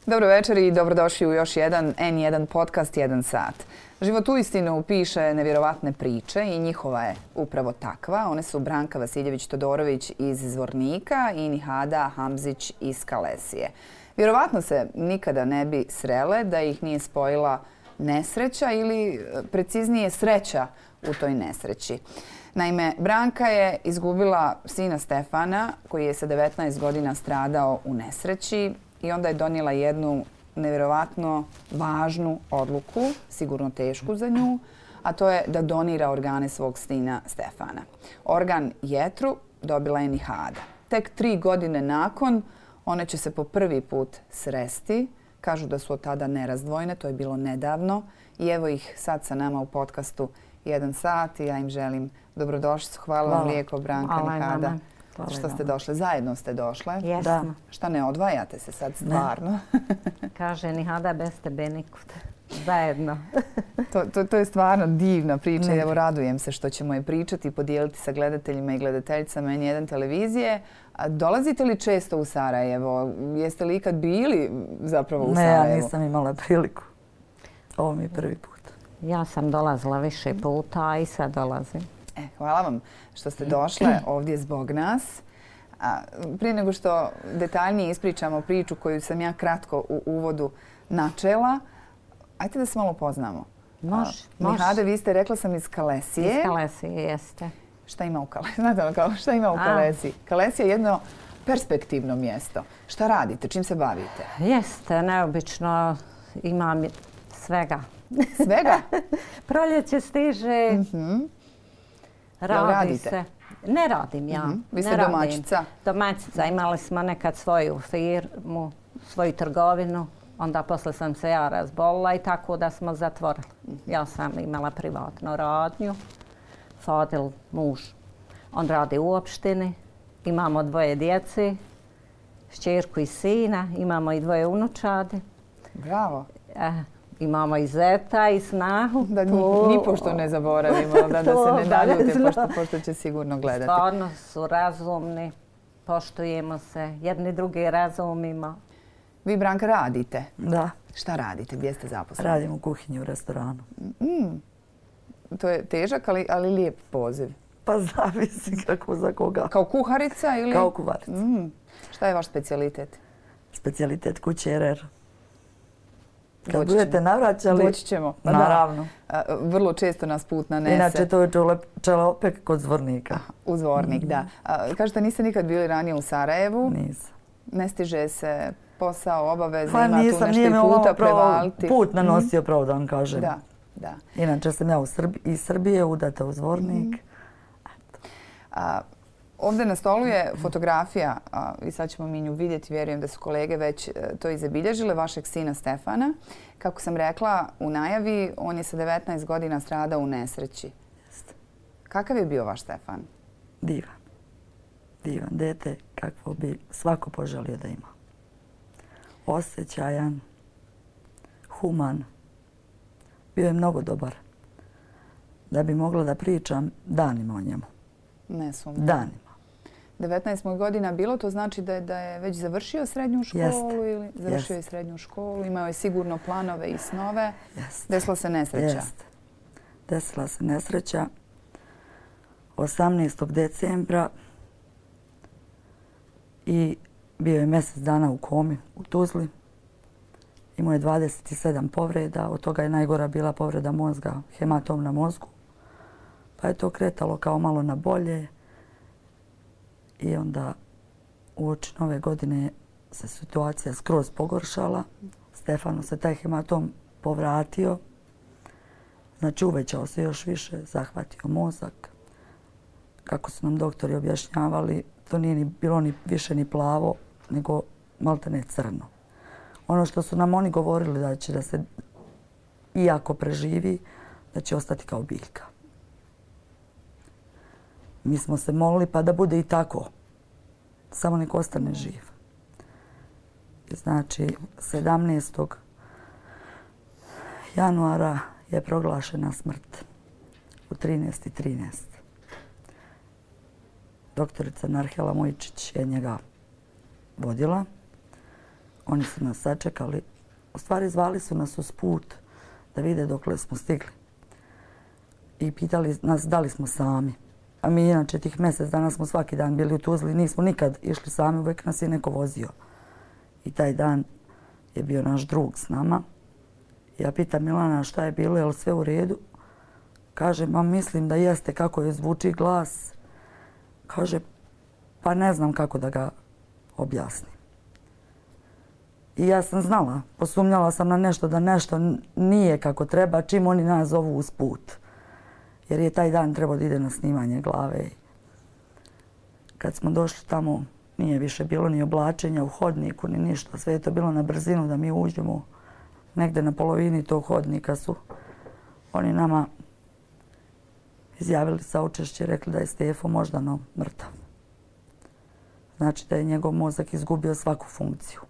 Dobro večer i dobrodošli u još jedan N1 podcast 1 sat. Život uistinu piše nevjerovatne priče i njihova je upravo takva. One su Branka Vasiljević-Todorović iz Zvornika i Nihada Hamzić iz Kalesije. Vjerovatno se nikada ne bi srele da ih nije spojila nesreća ili preciznije sreća u toj nesreći. Naime, Branka je izgubila sina Stefana koji je sa 19 godina stradao u nesreći i onda je donijela jednu nevjerovatno važnu odluku, sigurno tešku za nju, a to je da donira organe svog sina Stefana. Organ jetru dobila je Nihada. Tek 3 godine nakon one će se po prvi put sresti. Kažu da su od tada nerazdvojne, to je bilo nedavno. I evo ih sad sa nama u podcastu 1 sat i ja im želim dobrodošlicu. Hvala vam lijeko, Branka, Nihada. Što ste došle? Zajedno ste došle? Jesmo. Šta ne odvajate se sad stvarno? Kaže Nihada bez tebe nikud. Zajedno. To je stvarno divna priča i evo radujem se što ćemo je pričati i podijeliti sa gledateljima i gledateljicama N1 televizije. A dolazite li često u Sarajevo? Jeste li ikad bili zapravo u Sarajevu? Ne, ja nisam imala priliku. Ovo mi je prvi put. Ja sam dolazila više puta, a i sad dolazim. Hvala vam što ste došle ovdje zbog nas. Prije nego što detaljnije ispričamo priču koju sam ja kratko u uvodu načela, ajte da se malo poznamo. Može. Nihade, vi ste, rekla sam, iz Kalesije. Iz Kalesije, jeste. Šta ima u Kalesiji? Znate ono kao šta ima u Kalesiji? Kalesija je jedno perspektivno mjesto. Šta radite? Čim se bavite? Jeste, neobično. Imam svega. Svega? Proljeće stiže. Radi se. Ne radim ja. Vi ste domaćica? Domaćica. Imali smo nekad svoju firmu, svoju trgovinu. Onda posle sam se ja razbolila i tako da smo zatvorili. Ja sam imala privatnu radnju. Fadil, muž, on radi u opštini. Imamo 2 djece, šćerku i sina. Imamo i 2 unučadi. Bravo. Imamo i zeta i snahu. Da nipošto ne zaboravimo, da se ne naljute, pošto će sigurno gledati. Stvarno su razumni, poštujemo se, jedni drugi razumimo. Vi, Branka, radite? Da. Šta radite? Gdje ste zaposleni? Radim u kuhinji u restoranu. To je težak, ali lijep poziv. Pa zavisi kako za koga. Kao kuharica ili? Kao kuharica. Šta je vaš specijalitet? Specijalitet kuće RR. Kad budete navraćali, doći ćemo. Naravno. Vrlo često nas put nanese. Inače, to je čelopek kod Zvornika. U Zvornik, da. Kažete, niste nikad bili ranije u Sarajevu? Nisam. Ne stiže se posao, obaveze, pa ima tu nešto i puta prevaliti. Put nanosio, pravo da vam kažem. Da. Inače sam ja iz Srbije, udata u Zvornik. Ovdje na stolu je fotografija, i sad ćemo mi nju vidjeti, vjerujem da su kolege već to i zabilježile, vašeg sina Stefana. Kako sam rekla u najavi, on je sa 19 godina stradao u nesreći. Kakav je bio vaš Stefan? Divan. Divan dete, kakvo bi svako poželio da ima. Osjećajan, human. Bio je mnogo dobar. Da bi mogla da pričam danima o njemu. Ne sumnjam. Danima. 19 godina bilo, to znači da je već završio srednju školu ili završio je srednju školu, imao je sigurno planove i snove. Desila se nesreća. Desila se nesreća 18. decembra i bio je mjesec dana u komi u Tuzli. Imao je 27 povreda, od toga je najgora bila povreda mozga, hematom na mozgu. Pa je to kretalo kao malo na bolje i onda uoči nove godine se situacija skroz pogoršala. Stefanu se taj hematom povratio, znači uvećao se još više, zahvatio mozak. Kako su nam doktori objašnjavali, to nije ni bilo ni više ni plavo, nego maltene crno. Ono što su nam oni govorili da će da se, iako preživi, da će ostati kao biljka. Mi smo se molili pa da bude i tako. Samo nek ostane živ. Znači, 17. januara je proglašena smrt u 13:13. Doktorica Narhela Mojčić je njega vodila. Oni su nas sačekali. U stvari zvali su nas uz put da vide dokle smo stigli. I pitali nas da li smo sami. A mi inače tih mjesec dana smo svaki dan bili u Tuzli. Nismo nikad išli sami, uvijek nas je neko vozio. I taj dan je bio naš drug s nama. Ja pitam Milana šta je bilo, je li sve u redu? Kaže, ma mislim da jeste, kako je zvuči glas. Kaže, pa ne znam kako da ga objasnim. I ja sam znala, posumnjala sam na nešto da nešto nije kako treba čim oni nas zovu uz put. Jer je taj dan trebao da ide na snimanje glave. Kad smo došli tamo, nije više bilo ni oblačenja u hodniku, ni ništa. Sve je to bilo na brzinu da mi uđemo. Negde na polovini tog hodnika su oni nama izjavili saučešće, rekli da je Stefo moždano mrtav. Znači da je njegov mozak izgubio svaku funkciju.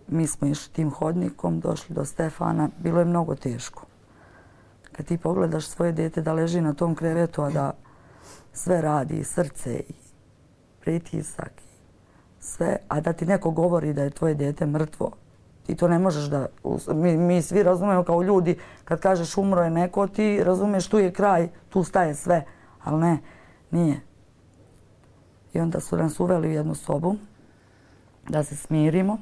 Mi smo išli tim hodnikom, došli do Stefana, bilo je mnogo teško. Kad ti pogledaš svoje dete da leži na tom krevetu, a da sve radi, i srce, i pritisak, i sve, a da ti neko govori da je tvoje dete mrtvo, ti to ne možeš da... Mi svi razumemo kao ljudi, kad kažeš umro je neko, ti razumeš tu je kraj, tu staje sve, ali ne, nije. I onda su nas uveli u jednu sobu da se smirimo.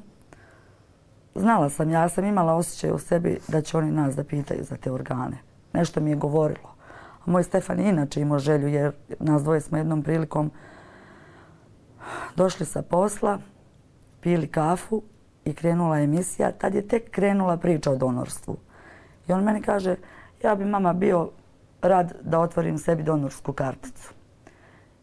Znala sam, ja sam imala osjećaj u sebi da će oni nas da pitaju za te organe. Nešto mi je govorilo. A moj Stefan je inače imao želju jer nas dvoje smo jednom prilikom došli sa posla, pili kafu i krenula emisija. Tad je tek krenula priča o donorstvu. I on meni kaže, ja bi mama bio rad da otvorim sebi donorsku karticu.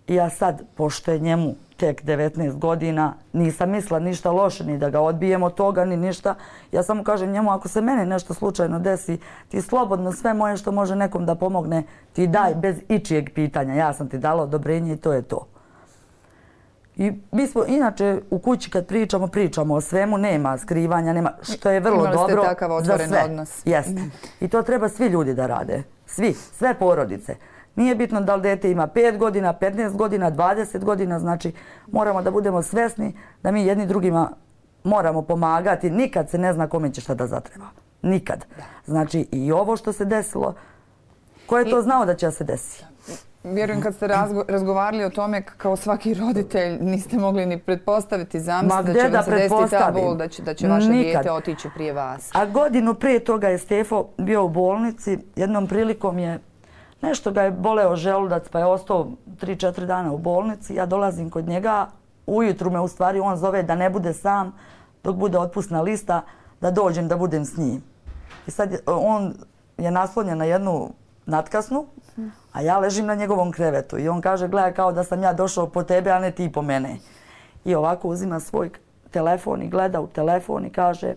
I ja sad, pošto je njemu tek 19 godina, nisam mislila ništa loše, ni da ga odbijem od toga, ni ništa. Ja samo kažem njemu, ako se meni nešto slučajno desi, ti slobodno sve moje što može nekom da pomogne, ti daj bez ičijeg pitanja. Ja sam ti dala odobrenje i to je to. I mi smo inače u kući kad pričamo o svemu, nema skrivanja, nema, što je vrlo dobro za sve. Imali ste takav otvoren odnos. Jeste. I to treba svi ljudi da rade. Svi, sve porodice. Nije bitno da li dete ima 5 godina, 15 godina, 20 godina, znači moramo da budemo svesni da mi jedni drugima moramo pomagati. Nikad se ne zna kome će šta da zatreba. Nikad. Znači i ovo što se desilo, ko je to znao da će se desiti? Vjerujem kad ste razgovarali o tome kao svaki roditelj niste mogli ni pretpostaviti, zamisliti da će vam se desiti ta bol, da će vaše dijete otići prije vas. A godinu prije toga je Stefo bio u bolnici. Jednom prilikom je nešto ga je boleo želudac pa je ostao 3-4 dana u bolnici. Ja dolazim kod njega, ujutru me u stvari on zove da ne bude sam dok bude otpusna lista, da dođem da budem s njim. I sad on je naslonjen na jednu natkasnu, a ja ležim na njegovom krevetu. I on kaže, gledaj kao da sam ja došao po tebe, a ne ti po mene. I ovako uzima svoj telefon i gleda u telefon i kaže,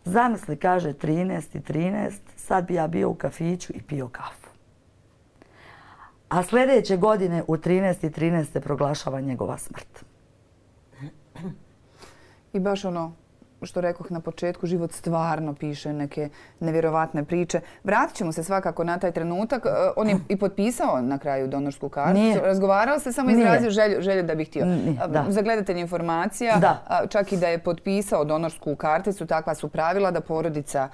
zamisli, kaže, 13:13, sad bi ja bio u kafiću i pio kafu. A sljedeće godine u 13:13 se proglašava njegova smrt. I baš ono što rekoh na početku, život stvarno piše neke nevjerovatne priče. Vratit ćemo se svakako na taj trenutak. On je i potpisao na kraju donorsku karticu. Nije. Razgovarao se, samo izrazio želju da bi htio. Za gledatelj informacija, čak i da je potpisao donorsku karticu, takva su pravila da porodica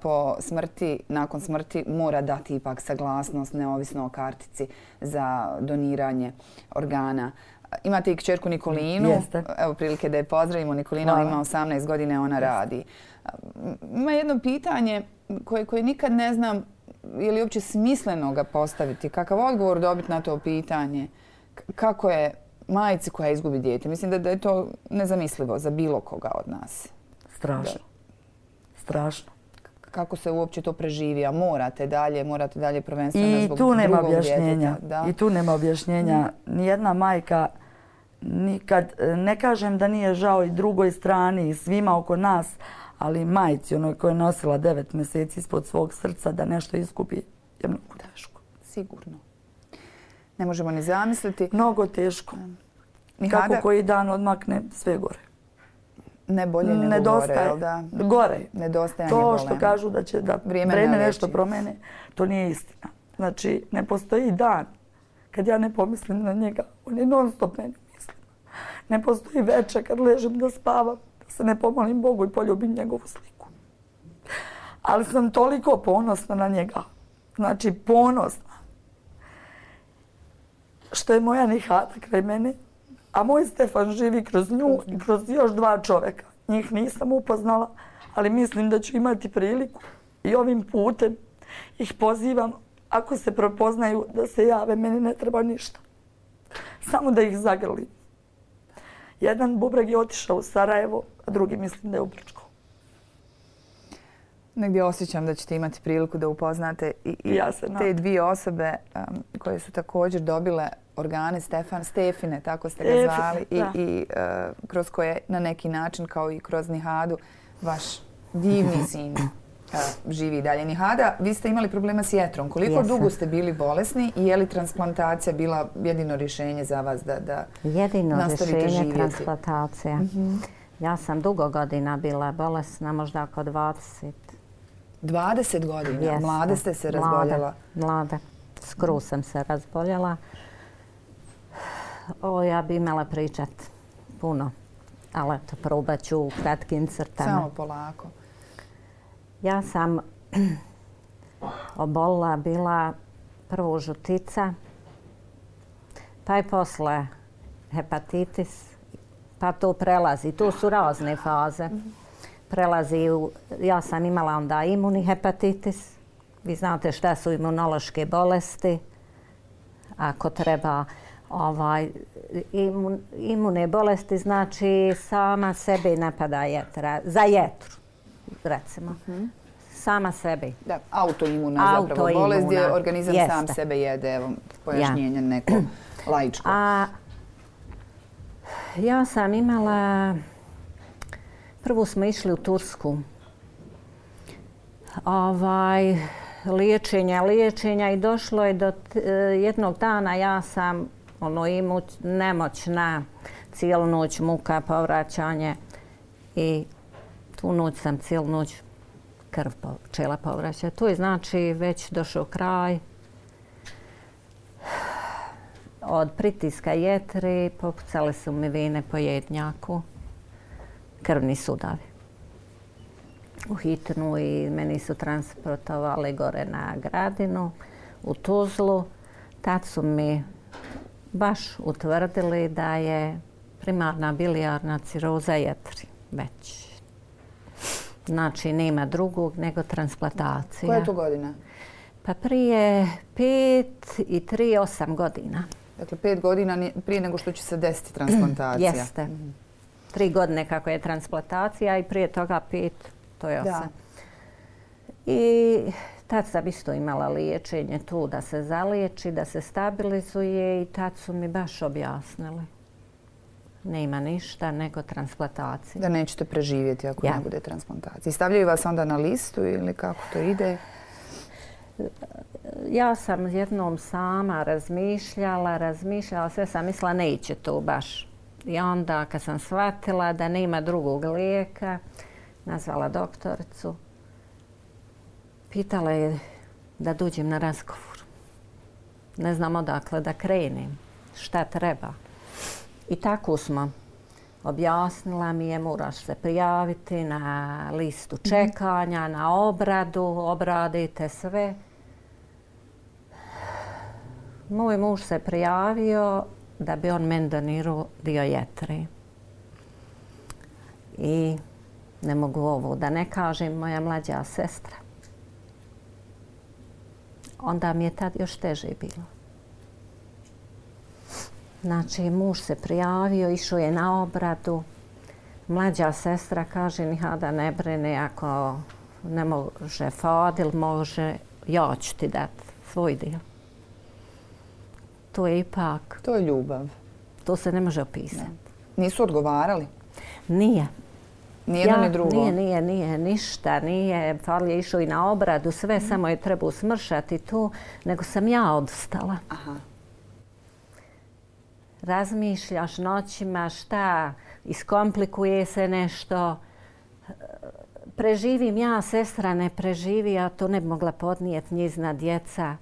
po smrti, nakon smrti mora dati ipak saglasnost neovisno o kartici za doniranje organa. Imate i kćerku Nikolinu. Jeste. Evo prilike da je pozdravimo. Nikolina ima 18 godina, ona radi. Ima jedno pitanje koje nikad ne znam je li uopće smisleno ga postaviti. Kakav odgovor dobiti na to pitanje? Kako je majci koja izgubi dijete? Mislim da je to nezamislivo za bilo koga od nas. Strašno. Strašno. Kako se uopće to preživi? A morate dalje prvenstveno zbog drugog djeteta. I tu nema objašnjenja. Nijedna majka nikad, ne kažem da nije žao i drugoj strani i svima oko nas, ali majci, onoj koja je nosila 9 mjeseci ispod svog srca, da nešto izgubi je mnogo teško. Sigurno. Ne možemo ni zamisliti. Mnogo teško. Kako koji dan odmakne, sve gore. Ne bolje nego gore, jel da? Gore. Nedostajanje to golema. što kažu da će da vreme nešto promene, to nije istina. Znači, ne postoji dan kad ja ne pomislim na njega. On je non stop meni mislim. Ne postoji večer kad ležem da spavam, da se ne pomolim Bogu i poljubim njegovu sliku. Ali sam toliko ponosna na njega. Znači, ponosna. Što je moja Nihada kraj mene, a moj Stefan živi kroz nju i kroz još 2 čovjeka. Njih nisam upoznala, ali mislim da ću imati priliku i ovim putem ih pozivam, ako se prepoznaju, da se jave, meni ne treba ništa. Samo da ih zagrlim. Jedan bubreg je otišao u Sarajevo, a drugi mislim da je u Brčko. Negdje osjećam da ćete imati priliku da upoznate i Ja se nadam. te 2 osobe koje su također dobile organe Stefine, tako ste ga zvali, i kroz koje na neki način, kao i kroz Nihadu, vaš divni sin živi dalje. Nihada, vi ste imali problema s jetrom. Koliko dugo ste bili bolesni i je li transplantacija bila jedino rješenje za vas da nastavite živjeti? Jedino rješenje transplantacija. Ja sam dugo godina bila bolesna, možda oko 20. 20 godina? Mlade ste se razboljela? Mlada. Skroz sam se razboljela. Ja bi imala pričat puno, ali eto, probat ću u kratkim crtama. Samo polako. Ja sam obolila, bila prvo žutica, pa i posle hepatitis, pa to prelazi. Tu su razne faze. Prelazi ja sam imala onda imuni hepatitis. Vi znate šta su imunološke bolesti. Ako treba imune bolesti, znači sama sebi napada jetra. Za jetru, recimo. Sama sebi. Da, autoimuna zapravo bolest gdje organizam sam sebe jede. Evo, pojašnjenje neko laičko. Ja sam imala... Prvo smo išli u Tursku. Liječenja i došlo je do jednog dana ja sam nemoćna, cijelu noć muka, povraćanje i tu noć sam cijelu noć krv počela povraćati. Tu je znači već došao kraj. Od pritiska jetri popucale su mi vene po jednjaku, krvni sudavi. U hitnu i meni su transportovali gore na Gradinu, u Tuzlu. Tad su mi baš utvrdili da je primarna bilijarna ciroza jetri već. Znači, nema drugog nego transplantacija. Koja je to godina? Pa prije 5 i 3, 8 godina. Dakle, 5 godina prije nego što će se desiti transplantacija. Jeste. 3 godine kako je transplantacija i prije toga 5, to je 8. Da. I tad sam isto imala liječenje tu da se zaliječi, da se stabilizuje i tad su mi baš objasnili. Nema ništa nego transplantacija. Da nećete preživjeti ako ne bude transplantacija. I stavljaju vas onda na listu ili kako to ide? Ja sam jednom sama razmišljala, sve sam mislila neće to baš. I onda kad sam shvatila da nema drugog lijeka, nazvala doktoricu, pitala je da dođem na razgovor. Ne znam odakle da krenem, šta treba. I tako smo. Objasnila mi je, moraš se prijaviti na listu čekanja, na obradu, obradite sve. Moj muž se prijavio da bi on meni donirao dio jetre. I ne mogu ovo da ne kažem, moja mlađa sestra. Onda mi je tad još teže bilo. Znači, muž se prijavio, išao je na obradu. Mlađa sestra kaže, Nihada, ne brini, ako ne može Fadil, može, ja ću ti dati svoj dio. To je ipak... To je ljubav. To se ne može opisati. Nisu odgovarali? Nije. Nijedno ni drugo? Nije, ništa. Nije. Fadil je išao i na obradu, sve, samo je trebao smršati tu, nego sam ja odustala. Aha. Razmišljaš noćima, šta, iskomplikuje se nešto. Preživim ja, sestra ne preživi, a to ne bi mogla podnijeti njezina djeca.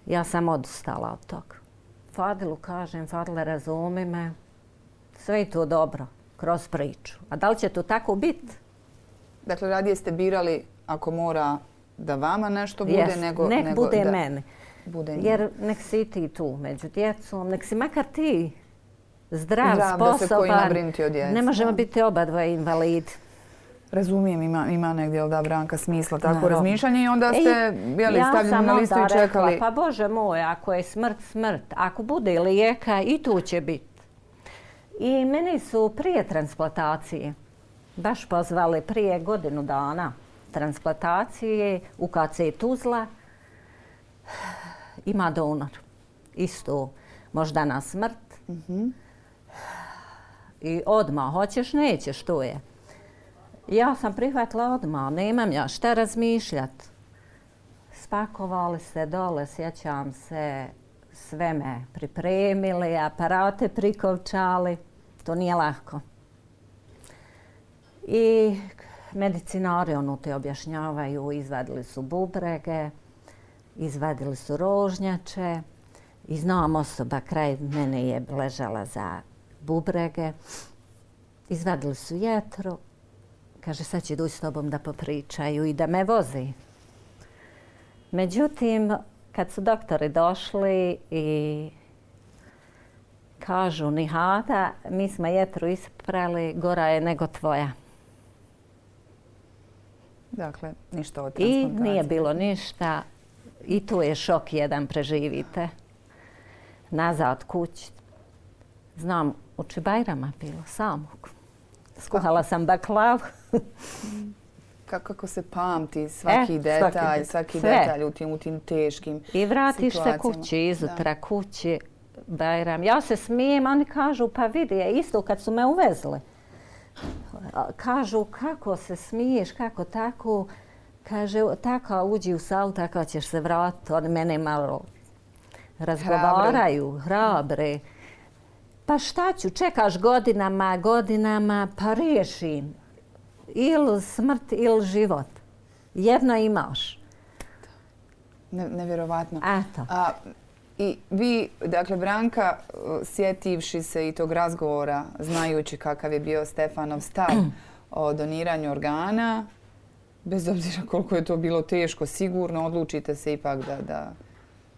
Ja sam odustala od toga. Fadilu kažem, Fadile, razumi me, Sve je to dobro kroz priču. A da li će to tako biti? Dakle, radije ste birali ako mora da vama nešto bude, Jest, nego nek bude da meni. Bude njima. Jer nek si ti tu među djecom, nek si makar ti zdrav, da se ko ima sposoban. brinuti o djeci. Ne možemo biti oba dva invalidi. Razumijem, ima negdje, jel da, Branka, smisla tako Naravno. razmišljanje i onda ste stavljeni na listu i čekali. Rekla, pa Bože moj, ako je smrt, ako bude lijeka i tu će biti. I meni su prije transplantacije baš pozvali prije godinu dana transplantacije u KC Tuzla. Ima donor. Isto moždana smrt. I odmah, hoćeš, nećeš, to je. Ja sam prihvatila odmah, nemam ja šta razmišljat. Spakovali se dole, sjećam se, sve me pripremili, aparate prikovčali. To nije lako. I medicinari te objašnjavaju, izvadili su bubrege, izvadili su rožnjače i znam osoba kraj mene je ležala za bubrege. Izvadili su jetru. Kaže, sad će doći s tobom da popričaju i da me vozi. Međutim, kad su doktori došli i kažu, Nihada, mi smo jetru isprali, gora je nego tvoja. Dakle, ništa od I transplantacije. nije bilo ništa. I tu je šok jedan, preživite. Nazad kući. Znam, u Čibajrama bilo samog. Skuhala sam baklavu. Kako se pamti svaki detalj, svaki detalj u tim teškim I vratiš se situacijama. kući, izutra kući, Bajram. Ja se smijem, oni kažu, pa vidi, isto kad su me uvezli. Kažu, kako se smiješ, kako tako. Kaže, tako uđi u salu, tako ćeš se vratiti. Oni mene malo razgovaraju, hrabre. Pa šta ću, čekaš godinama, pa riješim. Ili smrt, ili život. Jedno imaš. Nevjerovatno. Eto. I vi, dakle, Branka, sjetivši se i tog razgovora, znajući kakav je bio Stefanov stav o doniranju organa, bez obzira koliko je to bilo teško, sigurno odlučite se ipak da...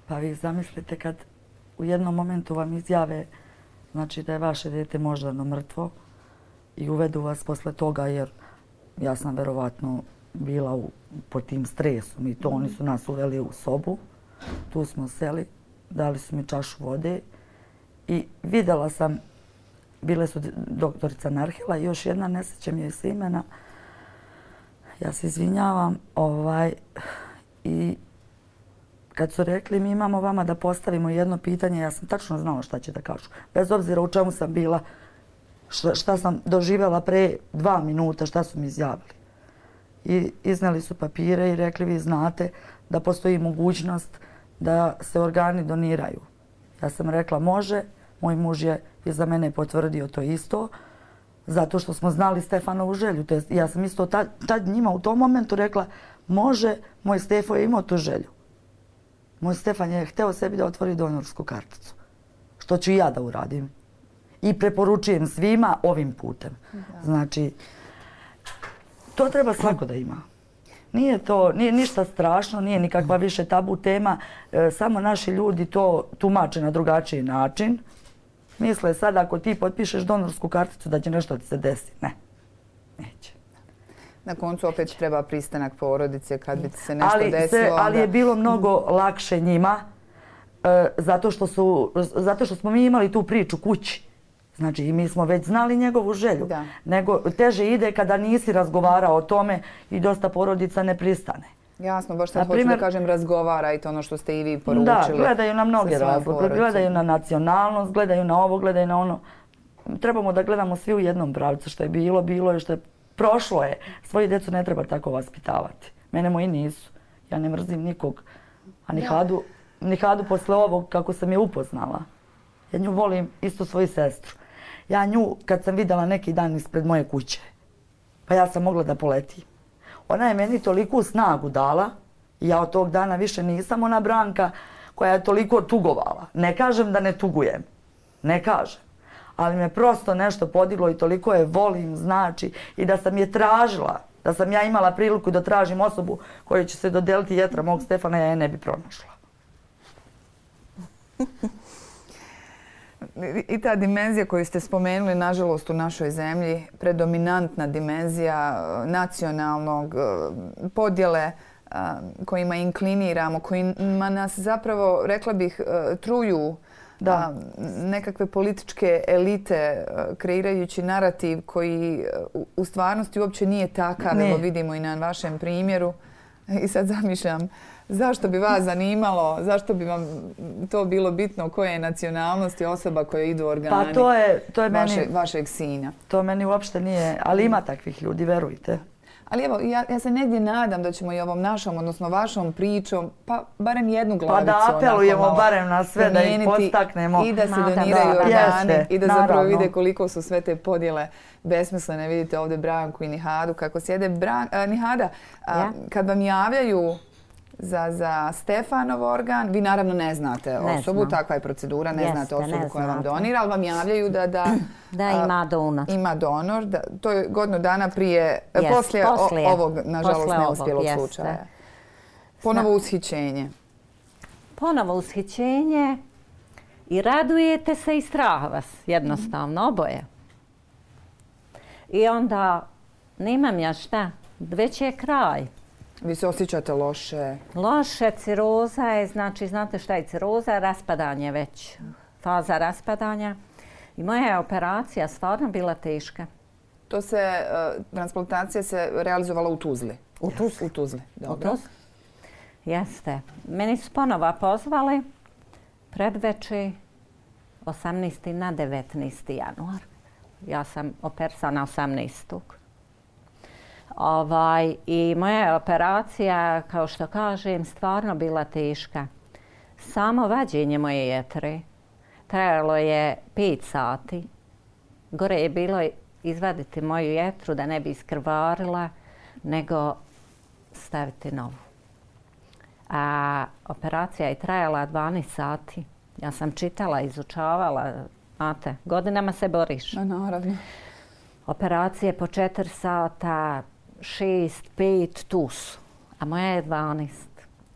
Pa vi zamislite kad u jednom momentu vam izjave znači da je vaše dijete moždano mrtvo i uvedu vas posle toga jer ja sam verovatno bila pod tim stresom i to oni su nas uveli u sobu. Tu smo seli, dali su mi čašu vode i vidjela sam, bile su doktorica Narhila i još jedna, ne sjećam joj se imena. Ja se izvinjavam i kad su rekli mi imamo vama da postavimo jedno pitanje, ja sam tačno znala šta će da kažu. Bez obzira u čemu sam bila, šta sam doživjela pre 2 minuta, šta su mi izjavili. I izneli su papire i rekli vi znate da postoji mogućnost da se organi doniraju. Ja sam rekla može, moj muž je iza mene potvrdio to isto, zato što smo znali Stefanovu želju. Ja sam isto tad njima u tom momentu rekla može, moj Stefo je imao tu želju. Moj Stefan je hteo sebi da otvori donorsku karticu. Što ću i ja da uradim. I preporučujem svima ovim putem. Znači, to treba svako da ima. Nije ništa strašno, nije nikakva više tabu tema. Samo naši ljudi to tumače na drugačiji način. Misle sad ako ti potpišeš donorsku karticu da će nešto ti se desi. Ne, neće. Na koncu opet treba pristanak porodice kad bi se nešto desilo. Ali je bilo mnogo lakše njima zato što smo mi imali tu priču kući. Znači i mi smo već znali njegovu želju. Nego teže ide kada nisi razgovarao o tome i dosta porodica ne pristane. Jasno, baš sad hoću da kažem razgovara i to ono što ste i vi poručili. Da, gledaju na mnoge razloge. Gledaju na nacionalnost, gledaju na ovo, gledaju na ono. Trebamo da gledamo svi u jednom pravcu. Što je bilo je što je prošlo je. Svoji djecu ne treba tako vaspitavati. Mene moji nisu. Ja ne mrzim nikog. A Nihadu posle ovog kako sam je upoznala. Ja nju volim isto svoju sestru. Ja nju kad sam vidjela neki dan ispred moje kuće, pa ja sam mogla da poletim. Ona je meni toliku snagu dala i ja od tog dana više nisam ona Branka koja je toliko tugovala. Ne kažem da ne tugujem. Ne kažem. Ali me prosto nešto podiglo i toliko je volim, znači, i da sam je tražila, da sam ja imala priliku da tražim osobu kojoj će se dodeliti jetra mog Stefana, ja je ne bi pronašla. I ta dimenzija koju ste spomenuli, nažalost, u našoj zemlji, predominantna dimenzija nacionalnog podjele kojima inkliniramo, kojima nas zapravo, rekla bih, truju nekakve političke elite kreirajući narativ koji u stvarnosti uopće nije takav, evo vidimo i na vašem primjeru. I sad zamišljam, zašto bi vas zanimalo, zašto bi vam to bilo bitno, koje je nacionalnosti osoba koja idu organi vašeg sina? To meni uopšte nije, ali ima takvih ljudi, verujte. Ali evo, ja se negdje nadam da ćemo i ovom našom, odnosno vašom pričom, pa barem jednu glavicu. Pa da apelujemo barem na sve, da ih podstaknemo. I da se doniraju organi i da zapravo vide koliko su sve te podjele besmislene. Vidite ovdje Branku i Nihadu kako sjede. Nihada, kad vam javljaju za Stefanov organ, vi naravno ne znate osobu, takva je procedura, ne znate osobu koja vam donira, ali vam javljaju da ima donor. Ima donor. To je godinu dana prije, poslije ovog, nažalost, neuspjelog slučaja. Ponovo ushićenje. Ponovo ushićenje i radujete se i strah vas, jednostavno, oboje. I onda, nemam ja šta, već je kraj. Vi se osjećate loše? Loše, ciroza je, znači, znate šta je ciroza? Raspadanje već, faza raspadanja. I moja je operacija stvarno bila teška. Transplantacija se realizovala u Tuzli? U Tuzli. U Tuzli, dobro. Jeste. Meni su ponovo pozvali predveče 18. na 19. januar. Ja sam operisana 18. I moja je operacija, kao što kažem, stvarno bila teška. Samo vađenje moje jetre trajalo je 5 sati. Gore je bilo izvaditi moju jetru da ne bi iskrvarila, nego staviti novu. A operacija je trajala 12 sati. Ja sam čitala, izučavala, znate, godinama se boriš. Naravno. Operacije po 4 sata, 6, 5, tu su. A moja je 12.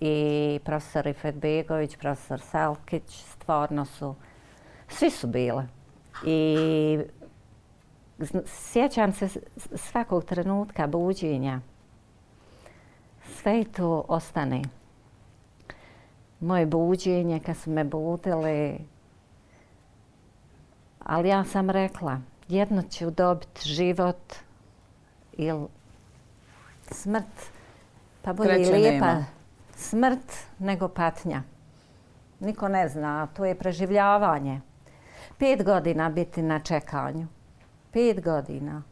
I profesor Ifetbegović, profesor Selkić, stvarno su, svi su bile. I sjećam se svakog trenutka buđenja. Sve to ostane. Moje buđenje, kad su me budili, ali ja sam rekla, jedno ću dobiti život ili smrt, pa bolje i lijepa smrt nego patnja. Niko ne zna, to je preživljavanje. 5 godina biti na čekanju. 5 godina.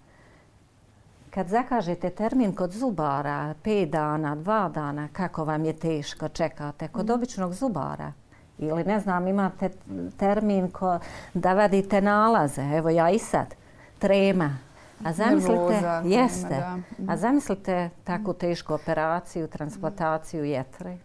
Kad zakažete termin kod zubara, 5 dana, 2 dana, kako vam je teško čekate kod običnog zubara? Ili ne znam, imate termin da vadite nalaze. Evo ja i sad. Trema. A zamislite takvu tešku operaciju, transplantaciju jetre.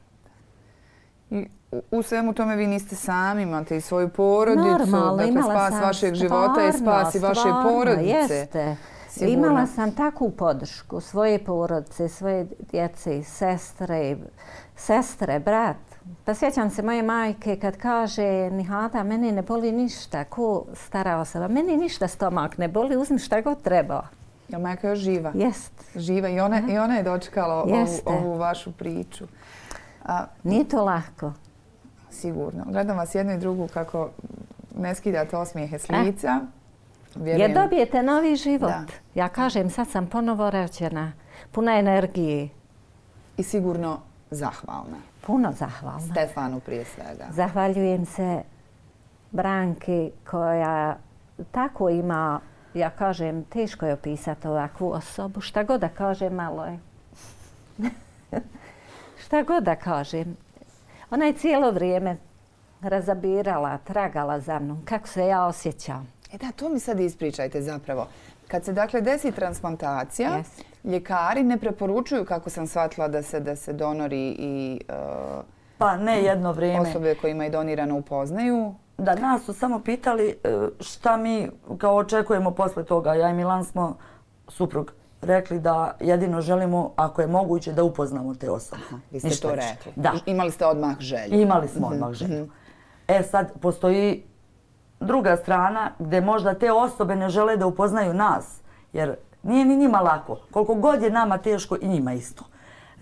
I u svemu tome vi niste sami, imate i svoju porodicu. Normalno, dakle, spas vašeg života i spas i vaše porodice. Jeste. Sigurno. Imala sam takvu podršku svoje porodice, svoje djece, sestre, brat. Pa sjećam se moje majke kad kaže Nihada, meni ne boli ništa, ko stara osoba, meni ništa stomak ne boli, uzmi šta god treba. Ja, majka je još živa. Jest. Živa i ona je dočekala ovu vašu priču. Nije to lako. Sigurno. Gledam vas jednu i drugu kako ne skidate osmijehe s lica. Jer dobijete novi život. Da. Ja kažem, sad sam ponovo rođena, puna energije. I sigurno zahvalna. Puno zahvalna. Stefanu prije svega. Zahvaljujem se Branki koja tako ima, ja kažem, teško je opisati ovakvu osobu. Šta god da kažem, malo je. Šta god da kažem. Ona je cijelo vrijeme razabirala, tragala za mnom, kako se ja osjećam. Da, to mi sad ispričajte zapravo. Kad se dakle desi transplantacija, ljekari ne preporučuju, kako sam shvatila, da se donori i pa ne jedno vrijeme. Osobe kojima je donirano upoznaju. Da, nas su samo pitali šta mi kao očekujemo posle toga. Ja i Milan smo, suprug, rekli da jedino želimo, ako je moguće, da upoznamo te osobe. Aha, vi ste to rekli. Da. Imali ste odmah želju. Imali smo odmah želju. Sad postoji druga strana gdje možda te osobe ne žele da upoznaju nas, jer nije ni njima lako. Koliko god je nama teško i njima isto.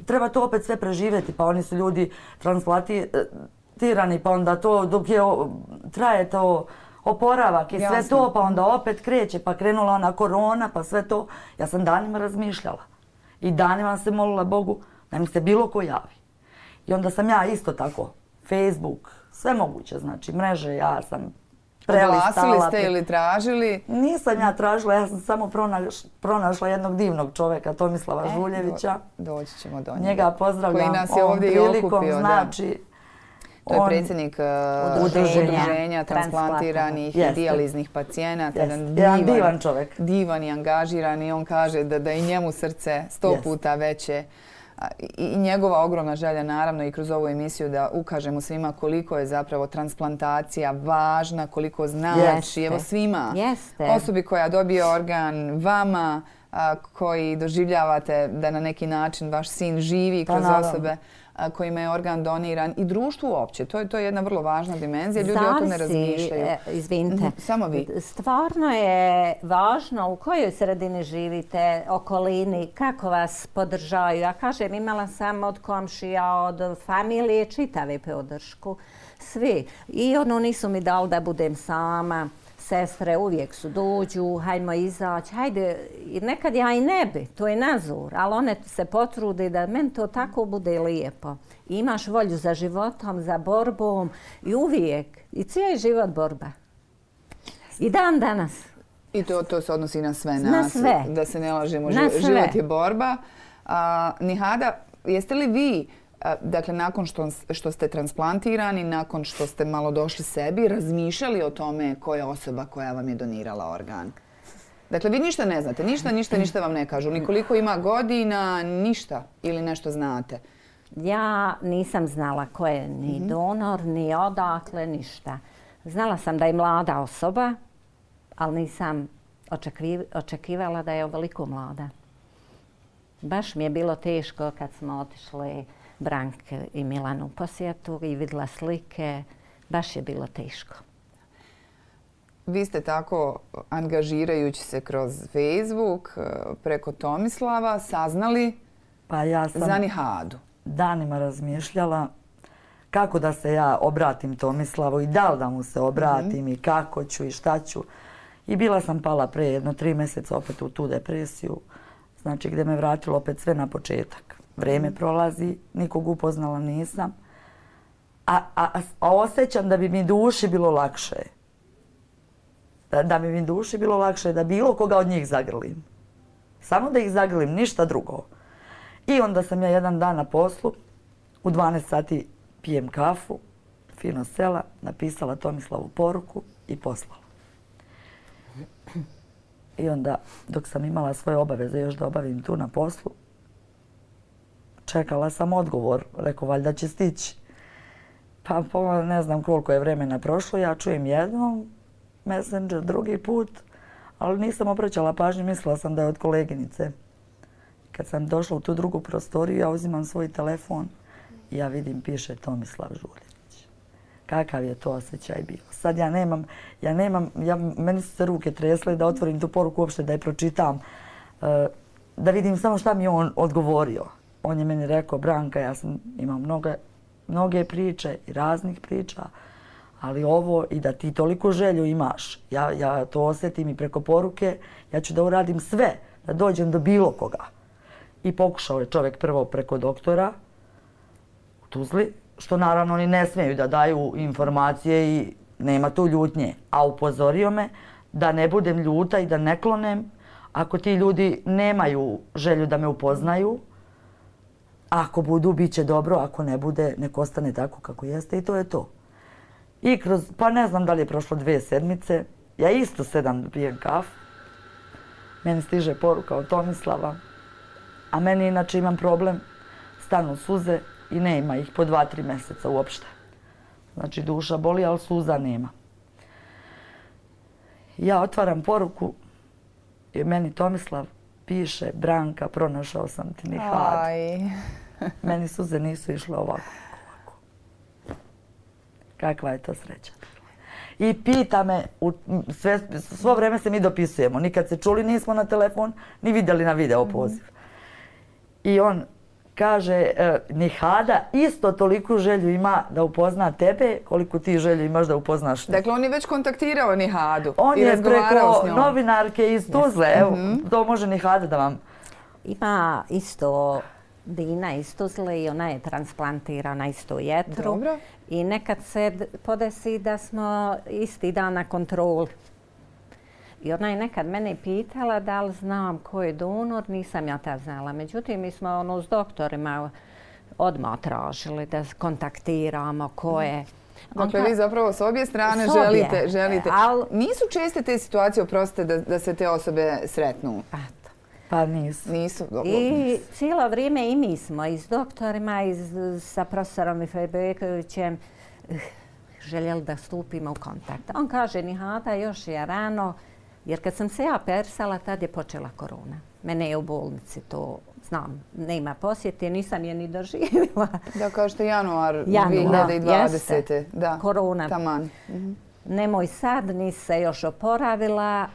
Treba to opet sve preživjeti, pa oni su ljudi transplantirani, pa onda to dok traje to oporavak i sve to, pa onda opet kreće, pa krenula ona korona, pa sve to. Ja sam danima razmišljala i danima se molila Bogu da mi se bilo ko javi. I onda sam ja isto tako, Facebook, sve moguće, znači mreže, ja sam prelistala. Oglasili ste ili tražili? Nisam ja tražila, ja sam samo pronašla jednog divnog čovjeka, Tomislava Žuljevića. Doći ćemo do njega. Njega pozdravljam koji nas je ovdje prilikom, okupio, znači... To je predsjednik udruženja transplantiranih i dijaliznih pacijenata. Jedan divan čovjek. Divan i angažiran i on kaže da i njemu srce 100 puta veće. I njegova ogromna želja, naravno, i kroz ovu emisiju da ukažemo svima koliko je zapravo transplantacija važna, koliko znači. Evo svima. Osobi koja dobije organ, vama koji doživljavate da na neki način vaš sin živi kroz osobe kojima je organ doniran i društvu uopće. To je jedna vrlo važna dimenzija. Ljudi o tome razmišljaju. Izvinite. Samo vi. Stvarno je važno u kojoj sredini živite, okolini, kako vas podržaju. Ja kažem, imala sam od komšija, od familije čitave podršku. Svi. I nisu mi dali da budem sama. Sestre uvijek su dođu, hajmo izaći, hajde, nekad ja i ne bi, to je nazor, ali one se potrude da meni to tako bude lijepo. I imaš volju za životom, za borbom i uvijek, i cijeli život borba. I dan danas. I to se odnosi na sve nas. Na sve. Da se ne lažemo, život je borba. Nihada, jeste li vi, dakle, nakon što ste transplantirani, nakon što ste malo došli sebi, razmišljali o tome koja je osoba koja vam je donirala organ? Dakle, vi ništa ne znate, ništa vam ne kažu, ni koliko ima godina, ništa ili nešto znate? Ja nisam znala ko je ni donor, ni odakle, ništa. Znala sam da je mlada osoba, ali nisam očekivala da je ovoliko mlada. Baš mi je bilo teško kad smo otišli Branke i Milanu u posjetu i vidjela slike. Baš je bilo teško. Vi ste tako, angažirajući se kroz Facebook, preko Tomislava, saznali za Nihadu. Danima razmišljala kako da se ja obratim Tomislavu i da li da mu se obratim i kako ću i šta ću. I bila sam pala pre 3 mjeseca opet u tu depresiju, znači gdje me vratilo opet sve na početak. Vreme prolazi, nikog upoznala nisam, a osjećam da bi mi duši bilo lakše. Da bi mi duši bilo lakše da bilo koga od njih zagrlim. Samo da ih zagrlim, ništa drugo. I onda sam ja jedan dan na poslu, u 12 sati pijem kafu, fino sela, napisala Tomislavu poruku i poslala. I onda, dok sam imala svoje obaveze još da obavim tu na poslu, čekala sam odgovor, rekao valjda će stići. Pa ne znam koliko je vremena prošlo, ja čujem jednom Messenger, drugi put, ali nisam obraćala pažnju, mislila sam da je od koleginice. Kad sam došla u tu drugu prostoriju, ja uzimam svoj telefon i ja vidim, piše Tomislav Žuljević. Kakav je to osjećaj bio. Sad meni su se ruke tresle da otvorim tu poruku uopšte, da je pročitam, da vidim samo šta mi je on odgovorio. On je meni rekao, Branka, ja imam mnoge priče i raznih priča, ali ovo i da ti toliko želju imaš, ja to osjetim i preko poruke, ja ću da uradim sve, da dođem do bilo koga. I pokušao je čovjek prvo preko doktora u Tuzli, što naravno oni ne smiju da daju informacije i nema tu ljutnje, a upozorio me da ne budem ljuta i da ne klonem ako ti ljudi nemaju želju da me upoznaju. Ako budu, bit će dobro, ako ne bude, nek ostane tako kako jeste i to je to. I pa ne znam da li je prošlo 2 sedmice, ja isto sedam da pijem kafu. Meni stiže poruka od Tomislava, a meni inače imam problem, stanu suze i nema ih po 2-3 mjeseca uopšte. Znači duša boli, ali suza nema. Ja otvaram poruku i meni Tomislav piše: Branka, pronašao sam ti Nihadu. Meni suze nisu išle ovako. Kakva je to sreća. I pita me, svo vrijeme se mi dopisujemo. Nikad se čuli nismo na telefon, ni vidjeli na video poziv. I on kaže, Nihada isto toliku želju ima da upozna tebe koliko ti želju imaš da upoznaš. Dakle, on je već kontaktirao Nihadu. On je preko novinarke iz Tuzle. Evo, to može Nihada da vam... Ima isto Dina iz Tuzle i ona je transplantirana isto jetru. Dobro. I nekad se podesi da smo isti dan na kontroli. I ona je nekad mene pitala da li znam ko je donor, nisam ja tad znala. Međutim, mi smo s doktorima odmah tražili da kontaktiramo ko je. Dakle, vi zapravo s obje strane želite. Nisu česte te situacije, oprostite, da se te osobe sretnu? Pa nisu. I cijelo vrijeme i mi smo i s doktorima i sa profesorom Ifejbekovićem željeli da stupimo u kontakt. On kaže, Nihada, još je rano, jer kad sam se ja persala, tad je počela korona. Mene je u bolnici, to znam, nema posjete, nisam je ni doživjela. Da, kažete januar 2020. Da, korona. Taman. Nemoj sad, nisi se još oporavila,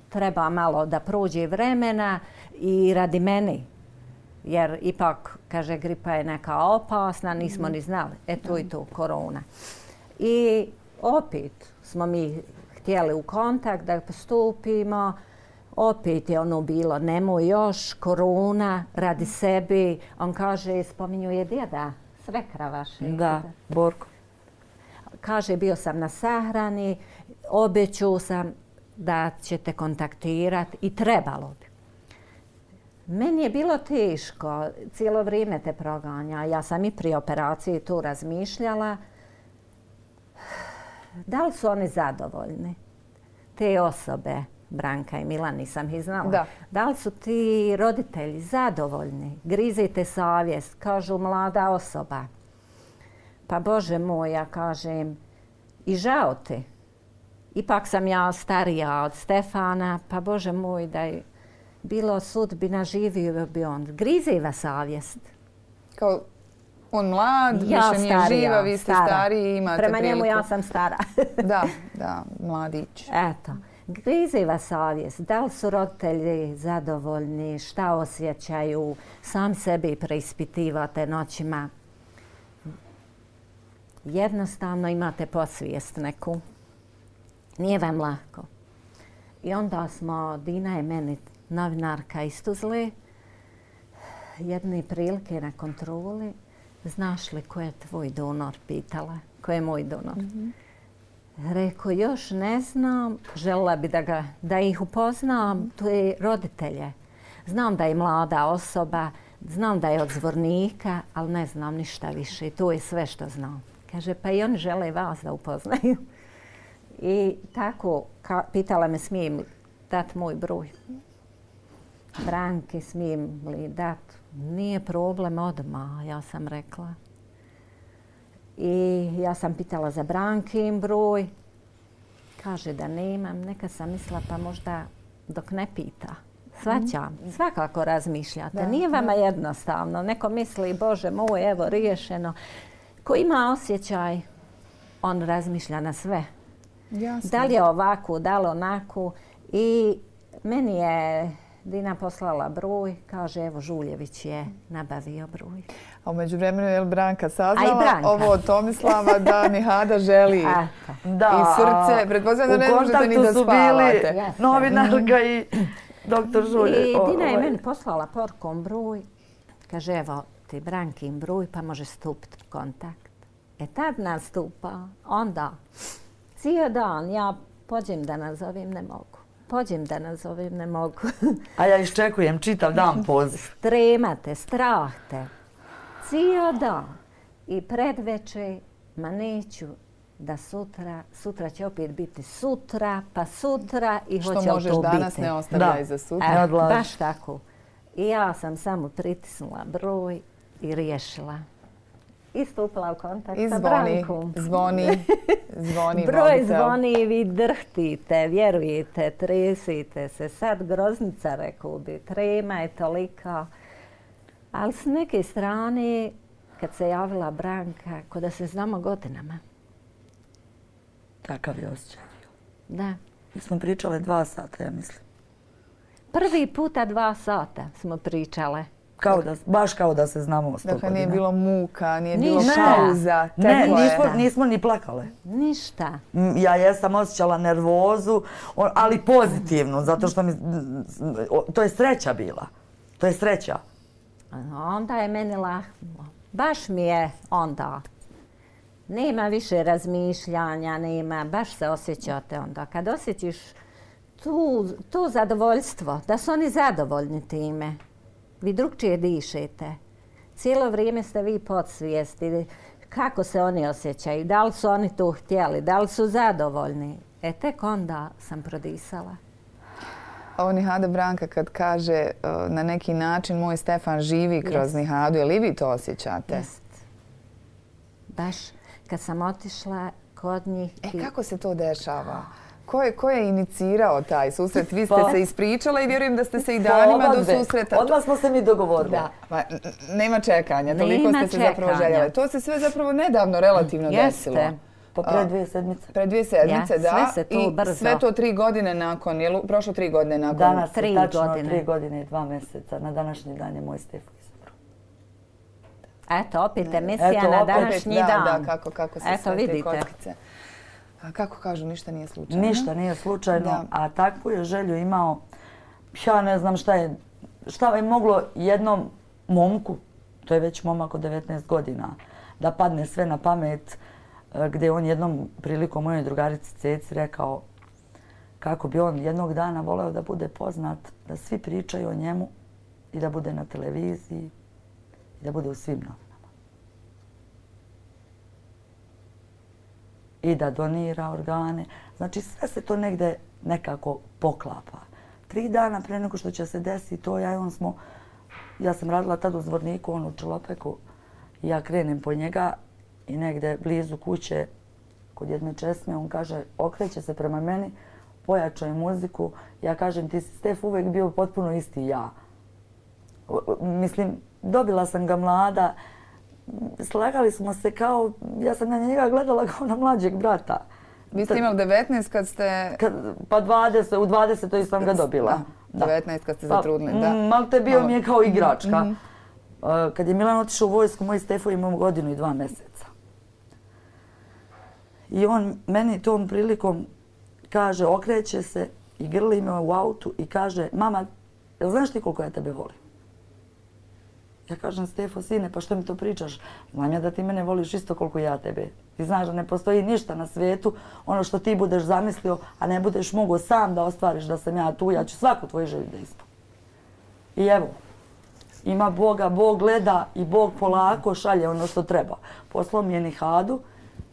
treba malo da prođe vremena i radi meni. Jer ipak, kaže, gripa je neka opasna, nismo ni znali. To i to, korona. I opet smo mi htjeli u kontakt da postupimo. Opet je ono bilo, nemoj još, korona, radi sebi. On kaže, spominjuje djeda, svekra vaše. Da, Borko. Kaže, bio sam na sahrani, obećao sam da ćete kontaktirati i trebalo bi. Meni je bilo teško, cijelo vrijeme te proganja. Ja sam i prije operacije tu razmišljala. Da li su oni zadovoljni? Te osobe, Branka i Milan, nisam ih znala. Da li su ti roditelji zadovoljni? Grizite savjest, kažu mlada osoba. Pa Bože moj, ja kažem, i žao ti. Ipak sam ja starija od Stefana, pa Bože moj, da je bilo sudbina, živio bi on. Griziva savjest. Kao on mlad, više nije živa, vi ste stariji, imate priliku. Prema njemu ja sam stara. Da, mladić. Eto, griziva savjest. Da li su roditelji zadovoljni, šta osjećaju, sam sebi preispitivate noćima. Jednostavno imate podsvijest neku. Nije vam lako. I onda smo, Dina je meni novinarka iz Tuzle, jedne prilike na kontroli, znaš li ko je tvoj donor, pitala, ko je moj donor. Rekao, još ne znam, željela bi da ih upoznam, to je roditelje. Znam da je mlada osoba, znam da je od Zvornika, ali ne znam ništa više, to je sve što znam. Kaže, pa i oni žele vas da upoznaju. I tako, pitala me smijem li dati moj broj. Branki, smijem li dati? Nije problem odmah, ja sam rekla. I ja sam pitala za Brankin broj. Kaže da nemam. Neka sam mislila pa možda dok ne pita. Svaćam, svakako razmišljate. Nije vama jednostavno. Neko misli, Bože moj, evo, riješeno. Ko ima osjećaj, on razmišlja na sve. Jasno. Da li je ovako, da li onako. I meni je Dina poslala broj, kaže evo Žuljević je nabavio broj. A u međuvremenu je Branka saznala ovo od Tomislava da Nihada želi i srce. Pretpostavljam da ne možete ni da spavate. U kontaktu su bili novinarka i doktor Žuljević. I Dina je meni poslala porukom broj. Kaže evo ti Brankin broj pa može stupiti u kontakt. Tad nastupa, onda cijel dan ja pođem da nazovem, ne mogu. A ja iščekujem čitav dan poziv. Stremate, strahte. Cijel dan. I predveče, ma neću da sutra će opet biti sutra, pa sutra i hoće to biti. Što možeš danas ne ostavljaj za sutra. Baš tako. I ja sam samo pritisnula broj i riješila. i stupila u kontakt I sa zvoni, Brankom. zvoni Broj mobitel. zvoni i vi drhtite, vjerujete, tresite se. Sad groznica, rekao bi, trema je tolika. Ali s neke strane, kad se javila Branka, ko da se znamo godinama. Takav je osjećaj. Da. Mi smo pričale 2 sata, ja mislim. Prvi puta 2 sata smo pričale. Baš kao da se znamo 100 godina. Dakle, nije bilo muka, nije bilo Ništa. pauza. Ne, teklo je. nismo ni plakale. Ništa. Ja jesam osjećala nervozu, ali pozitivnu, zato što to je sreća bila. To je sreća. Onda je meni lahnulo. Baš mi je onda. Nema više razmišljanja, nema, baš se osjećate onda. Kad osjećiš to zadovoljstvo, da su oni zadovoljni time, vi drugčije dišete. Cijelo vrijeme ste vi podsvijesti kako se oni osjećaju, da li su oni to htjeli, da li su zadovoljni. Tek onda sam prodisala. Ovo Nihada Branka kad kaže na neki način moj Stefan živi kroz Nihadu, je li vi to osjećate? Jest. Baš kad sam otišla kod njih... Kako se to dešava? Ko je inicirao taj susret? Vi ste se ispričala i vjerujem da ste se i danima do susreta... Odmah smo se mi dogovorili. Da, nema čekanja, toliko ste se zapravo željeli. To se sve zapravo nedavno relativno desilo. Pa pre 2 sedmice. Pre 2 sedmice, da. Sve se to brzo. I sve to 3 godine nakon, je li prošlo 3 godine nakon? Danas je tačno 3 godine i 2 mjeseca. Na današnji dan je moj Stefan izabro. Eto, opet emisija na današnji dan. Da, kako se sve te kockice. Kako kažu, ništa nije slučajno. Ništa nije slučajno, a takvu je želju imao, ja ne znam šta je moglo jednom momku, to je već momak od 19 godina, da padne sve na pamet, gdje on jednom prilikom mojoj drugarici Ceci rekao kako bi on jednog dana voleo da bude poznat, da svi pričaju o njemu i da bude na televiziji i da bude u svim novinama. I da donira organe. Znači sve se to negdje nekako poklapa. 3 dana pre nego što će se desiti to, ja sam radila tad u Zvorniku, on u Čelopeku, i ja krenem po njega i negdje blizu kuće kod jedne česme, on kaže, okreće se prema meni, pojačao je muziku, ja kažem, ti si Stef uvijek bio potpuno isti ja. Mislim, dobila sam ga mlada, slagali smo se kao, ja sam na njega gledala kao na mlađeg brata. Vi ste imali 19 kad ste... Pa 20, u 20. sam ga dobila. 19 kad ste zatrudnili, da. Malte bio mi je kao igračka. Kad je Milan otišao u vojsku, moj Stefo imao 1 godinu i 2 mjeseca. I on meni tom prilikom kaže, okreće se i grli me u autu i kaže, mama, jel znaš ti koliko ja tebe volim? Ja kažem, Stefo, sine, pa što mi to pričaš? Znam ja da ti mene voliš isto koliko ja tebe. Ti znaš da ne postoji ništa na svijetu, ono što ti budeš zamislio, a ne budeš mogao sam da ostvariš da sam ja tu, ja ću svaku tvoju želju da ispunim. I evo, ima Boga, Bog gleda i Bog polako šalje ono što treba. Poslao mi je Nihadu,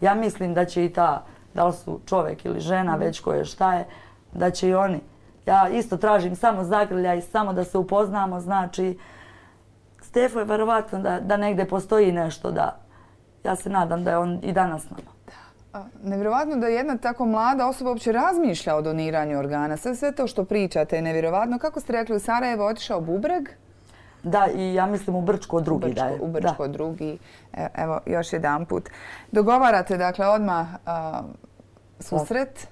ja mislim da će i ta, da li su čovjek ili žena, već koje šta je, da će i oni. Ja isto tražim samo zagrljaj, samo da se upoznamo, znači, Stefo je verovatno da negdje postoji nešto, da ja se nadam da je on i danas s nama. Nevjerovatno da jedna tako mlada osoba uopće razmišlja o doniranju organa. Sve to što pričate je nevjerovatno. Kako ste rekli, u Sarajevo otišao Bubreg? Da, i ja mislim u Brčko drugi da je. U Brčko drugi. Evo, još jedan put. Dogovarate, dakle, odmah susret.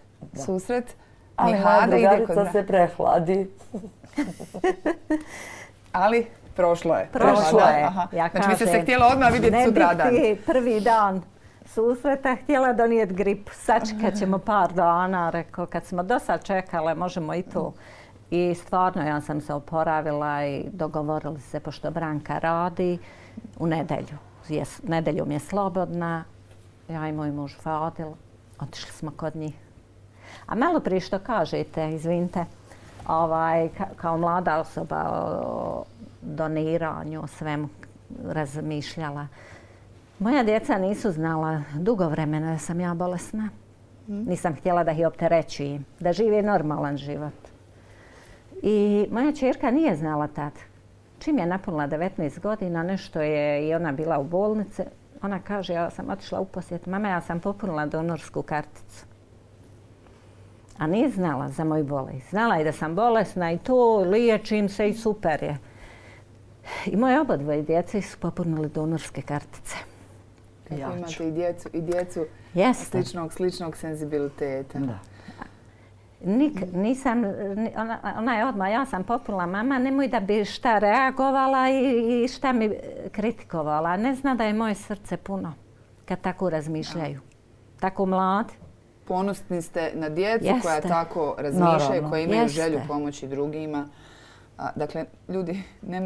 Ali moja drugarica se prehladi. Ali... Prošlo je. Ja znači, vi ste se htjela odmah vidjeti sutradan. Ne biti prvi dan susreta, htjela donijeti grip. Sačekat ćemo par dana, rekao, kad smo do sad čekale, možemo i to. I stvarno, ja sam se oporavila i dogovorili se, pošto Branka radi, u nedjelju. Nedeljom je slobodna, ja i moj muž Fadil, otišli smo kod njih. A malo prije što kažete, izvinite, kao mlada osoba o doniranju, o svemu razmišljala. Moja djeca nisu znala dugo vremena da sam ja bolesna. Nisam htjela da ih opterećujem, da žive normalan život. I moja ćerka nije znala tad. Čim je napunila 19 godina, nešto je i ona bila u bolnici, Ona kaže, ja sam otišla u posjet. Mama, ja sam popunila donorsku karticu. A nije znala za moju bolest. Znala je da sam bolesna i to, liječim se i super je. I moje obadvoje djece su popunili donorske kartice. Kako imate i djecu sličnog senzibiliteta. Da. Nisam, ona je odmah, ja sam popunila, mama, nemoj da bi šta reagovala i šta mi kritikovala. Ne zna da je moje srce puno kad tako razmišljaju. Tako mladi. Ponosni ste na djecu koja tako razmišljaju, koja imaju želju pomoći drugima. Dakle, ljudi,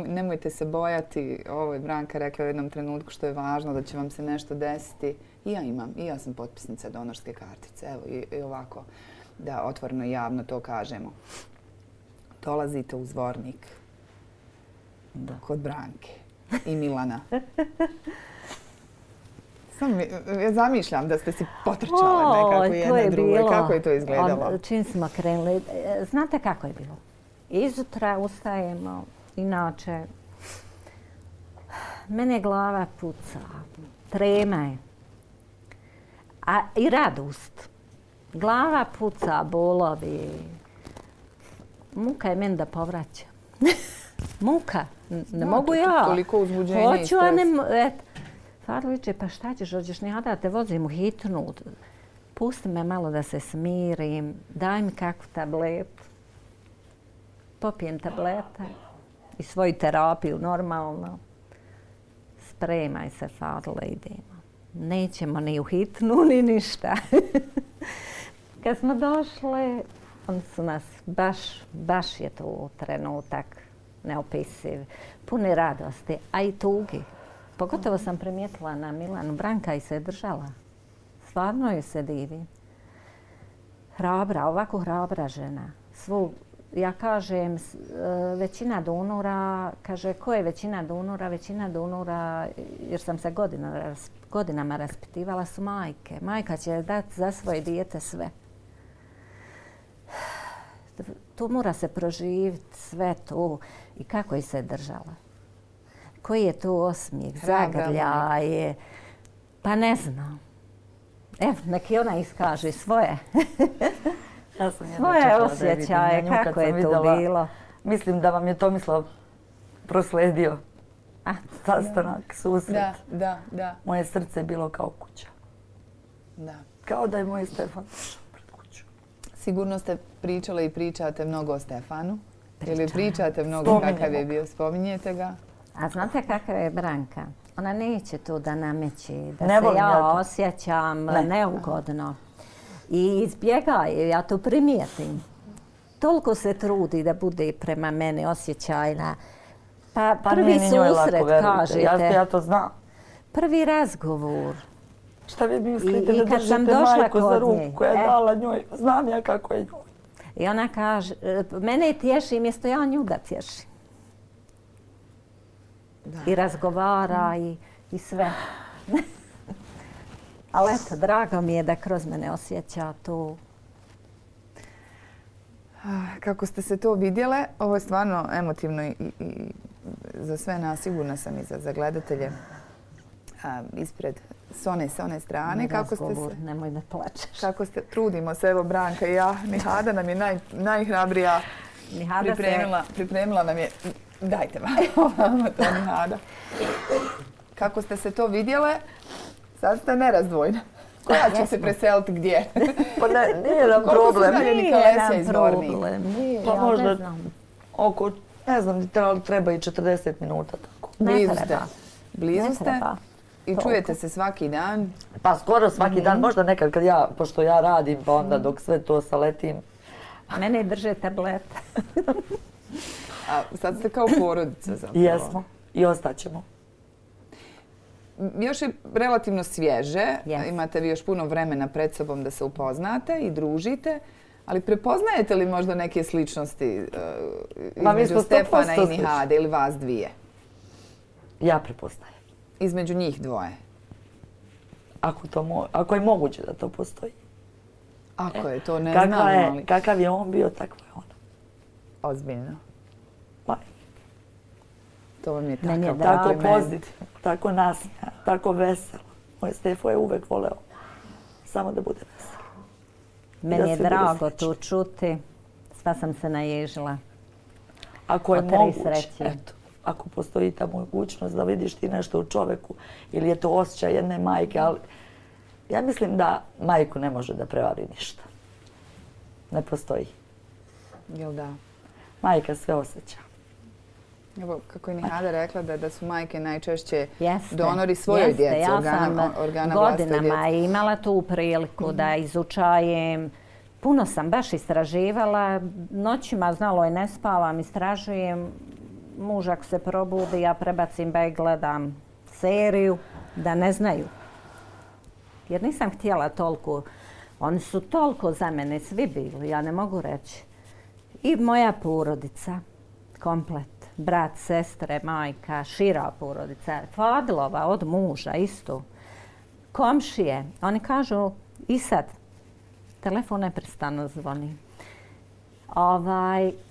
nemojte se bojati. Ovo je Branka rekla u jednom trenutku što je važno, da će vam se nešto desiti. I ja sam potpisnica donorske kartice. Evo, i ovako, da otvoreno i javno to kažemo. Dolazite u Zvornik kod Branke i Milana. Ja zamišljam da ste si potrčale nekako jedna druga. Kako je to izgledalo? Čim smo krenuli, znate kako je bilo? Izutra ustajemo, inače, mene glava puca, trema je, a i radost. Glava puca, bolovi, muka je meni da povraća. Muka, ne mogu ja. Toliko uzbuđenja i stres. Hoću, a ne... Farliče, pa šta ćeš, hoćeš ni da te vozim u hitnu. Pusti me malo da se smirim, daj mi kakvu tabletu. Popijem tablete i svoju terapiju normalno. Spremaj se, Fadle, idemo. Nećemo ni u hitnu, ni ništa. Kad smo došle, oni su nas baš je to trenutak neopisiv. Puni radosti, a i tugi. Pogotovo sam primijetila na Milanu. Branka i se držala. Stvarno joj se divi. Hrabra, ovako hrabra žena. Ja kažem, većina donora, kaže, ko je većina donora? Većina donora, jer sam se godinama raspitivala, su majke. Majka će dati za svoje dijete sve. To mora se proživiti, sve to. I kako je se držala? Koji je to osmijeh, zagrljaje? Pa ne znam. Evo, neki ona iskaže svoje. Svoje osjećaje, kako je to bilo. Mislim da vam je Tomislav prosledio sastanak, susret. Da. Moje srce je bilo kao kuća. Da. Kao da je moj Stefan pred kuću. Sigurno ste pričale i pričate mnogo o Stefanu. Ili pričate mnogo kakav je bio, spominjete ga? A znate kakva je Branka? Ona neće to da nameće, da se ja osjećam neugodno. I izbjegaje, ja to primijetim. Toliko se trudi da bude prema mene osjećajna. Pa prvi susret, kažete. Ja to znam. Prvi razgovor. Šta vi mislite da držite majku za ruku koja je dala njoj? Znam ja kako je njoj. I ona kaže, mene tješi mjesto ja nju da tješim. I razgovara i sve. Ali eto, drago mi je da kroz mene osjeća to. Kako ste se to vidjele, ovo je stvarno emotivno i za sve nas, sigurna sam i za gledatelje ispred s one strane. Kako ste se... Nemoj da plačeš. Kako ste, trudimo se, evo Branka i ja. Nihada nam je najhrabrija. Pripremila nam je... Dajte vam to, Nihada. Kako ste se to vidjele, sad ste nerazdvojne. Koja će se preseliti gdje? Pa nije nam problem. Nije nam problem. Pa možda oko, ne znam, treba i 40 minuta tako. Blizu ste i čujete se svaki dan? Pa skoro svaki dan, možda nekad kad pošto ja radim, pa onda dok sve to saletim. Mene drže tablete. A sad ste kao porodica zapravo. Jesmo i ostaćemo. Još je relativno svježe, imate vi još puno vremena pred sobom da se upoznate i družite, ali prepoznajete li možda neke sličnosti između Stefana i Nihade ili vas dvije? Ja prepoznajem. Između njih dvoje? Ako je moguće da to postoji. Ako je, to ne znam, ali... Kakav je on bio, takva je ona. Ozbiljno. Pa. To vam je tako pozitivno, tako nasmijano. tako veselo. Moj Stefo je uvek voleo samo da bude veselo. Meni je drago to čuti. Sva sam se naježila. Ako je moguće, eto, ako postoji ta mogućnost da vidiš ti nešto u čoveku ili je to osjećaj jedne majke, ali ja mislim da majku ne može da prevari ništa. Ne postoji. Jel da? Majka sve osjeća. Evo, kako je Nihada rekla da su majke najčešće Jeste, donori svojoj djeci, organa vlastitoj djeci. Godinama imala tu priliku da izučajem. Puno sam baš istraživala. Noćima znalo je ne spavam, istražujem. Muž ako se probudi, ja prebacim da gledam seriju, da ne znaju. Jer nisam htjela toliko. Oni su toliko za mene svi bili, ja ne mogu reći. I moja porodica, komplet. Brat, sestre, majka, šira porodica. Fadilova od muža isto. Komšije, oni kažu i sad. Telefon neprestano zvoni.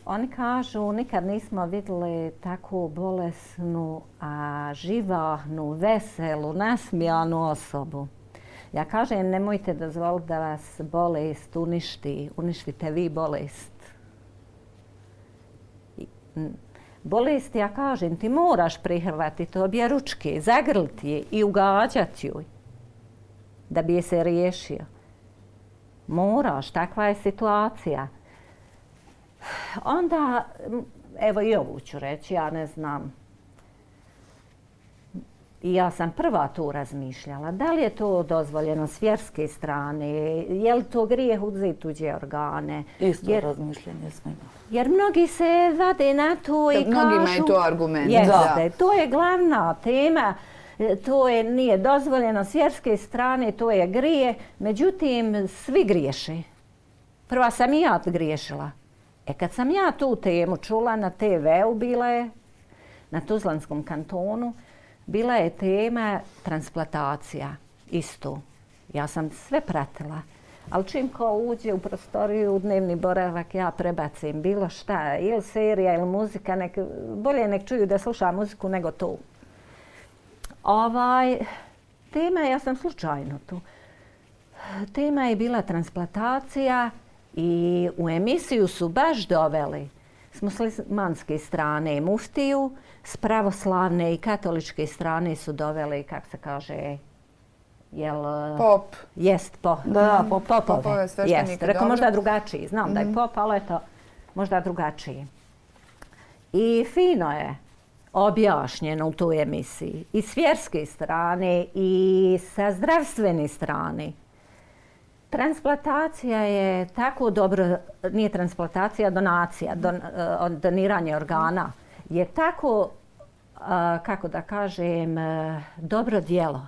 Oni kažu nikad nismo vidjeli takvu bolesnu, živahnu, veselu, nasmijanu osobu. Ja kažem nemojte dozvoliti da vas bolest uništi. Uništite vi bolest. Bolest, ja kažem, ti moraš prihvatiti obje ručke, zagrliti je i ugađati joj da bi je se riješio. Moraš, takva je situacija. Onda, evo i ovu ću reći, ja ne znam. I ja sam prva tu razmišljala. Da li je to dozvoljeno s vjerske strane? Je li to grijeh uzeti tuđe organe? Isto razmišljanje smo imali. Jer mnogi se vade na to i kažu... Mnogima je to argument. Jeste, to je glavna tema. To nije dozvoljeno s vjerske strane, to je grije. Međutim, svi griješe. Prva sam i ja griješila. Kad sam ja tu temu čula na TV-u, bila je na Tuzlanskom kantonu, bila je tema transplantacija. Isto. Ja sam sve pratila. Ali čim ko uđe u prostoriju, u dnevni boravak, ja prebacim bilo šta, ili serija, ili muzika. Bolje nek čuju da sluša muziku nego to. Tema, ja sam slučajno tu. Tema je bila transplantacija i u emisiju su baš doveli s muslimanske strane muftiju, s pravoslavne i katoličke strane su doveli, kako se kaže, pop. Jest, popove. Jest, rekao možda drugačiji. Znam da je pop, ali eto, možda drugačiji. I fino je objašnjeno u toj emisiji. I s vjerske strane i sa zdravstvene strane. Transplantacija je tako dobro, nije transplantacija, donacija, doniranje organa. Je tako, kako da kažem, dobro djelo.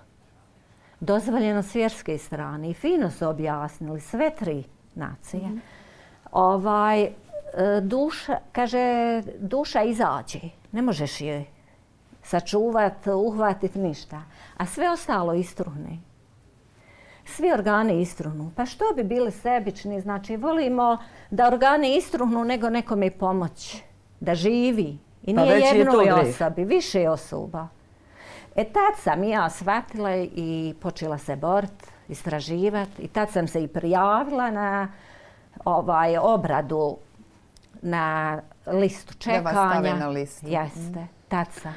Dozvoljeno s vjerske strane i fino su objasnili sve tri nacije. Duša izađe, ne možeš je sačuvati, uhvatiti ništa, a sve ostalo istruhne. Svi organi istruhnu. Pa što bi bili sebični? Znači, volimo da organi istruhnu nego nekome pomoći, da živi. I nije jednoj osobi, više osoba. Tad sam ja shvatila i počela se boriti, istraživati. I tad sam se i prijavila na obradu na listu čekanja. Da vas stave na listu. Jeste, tad sam.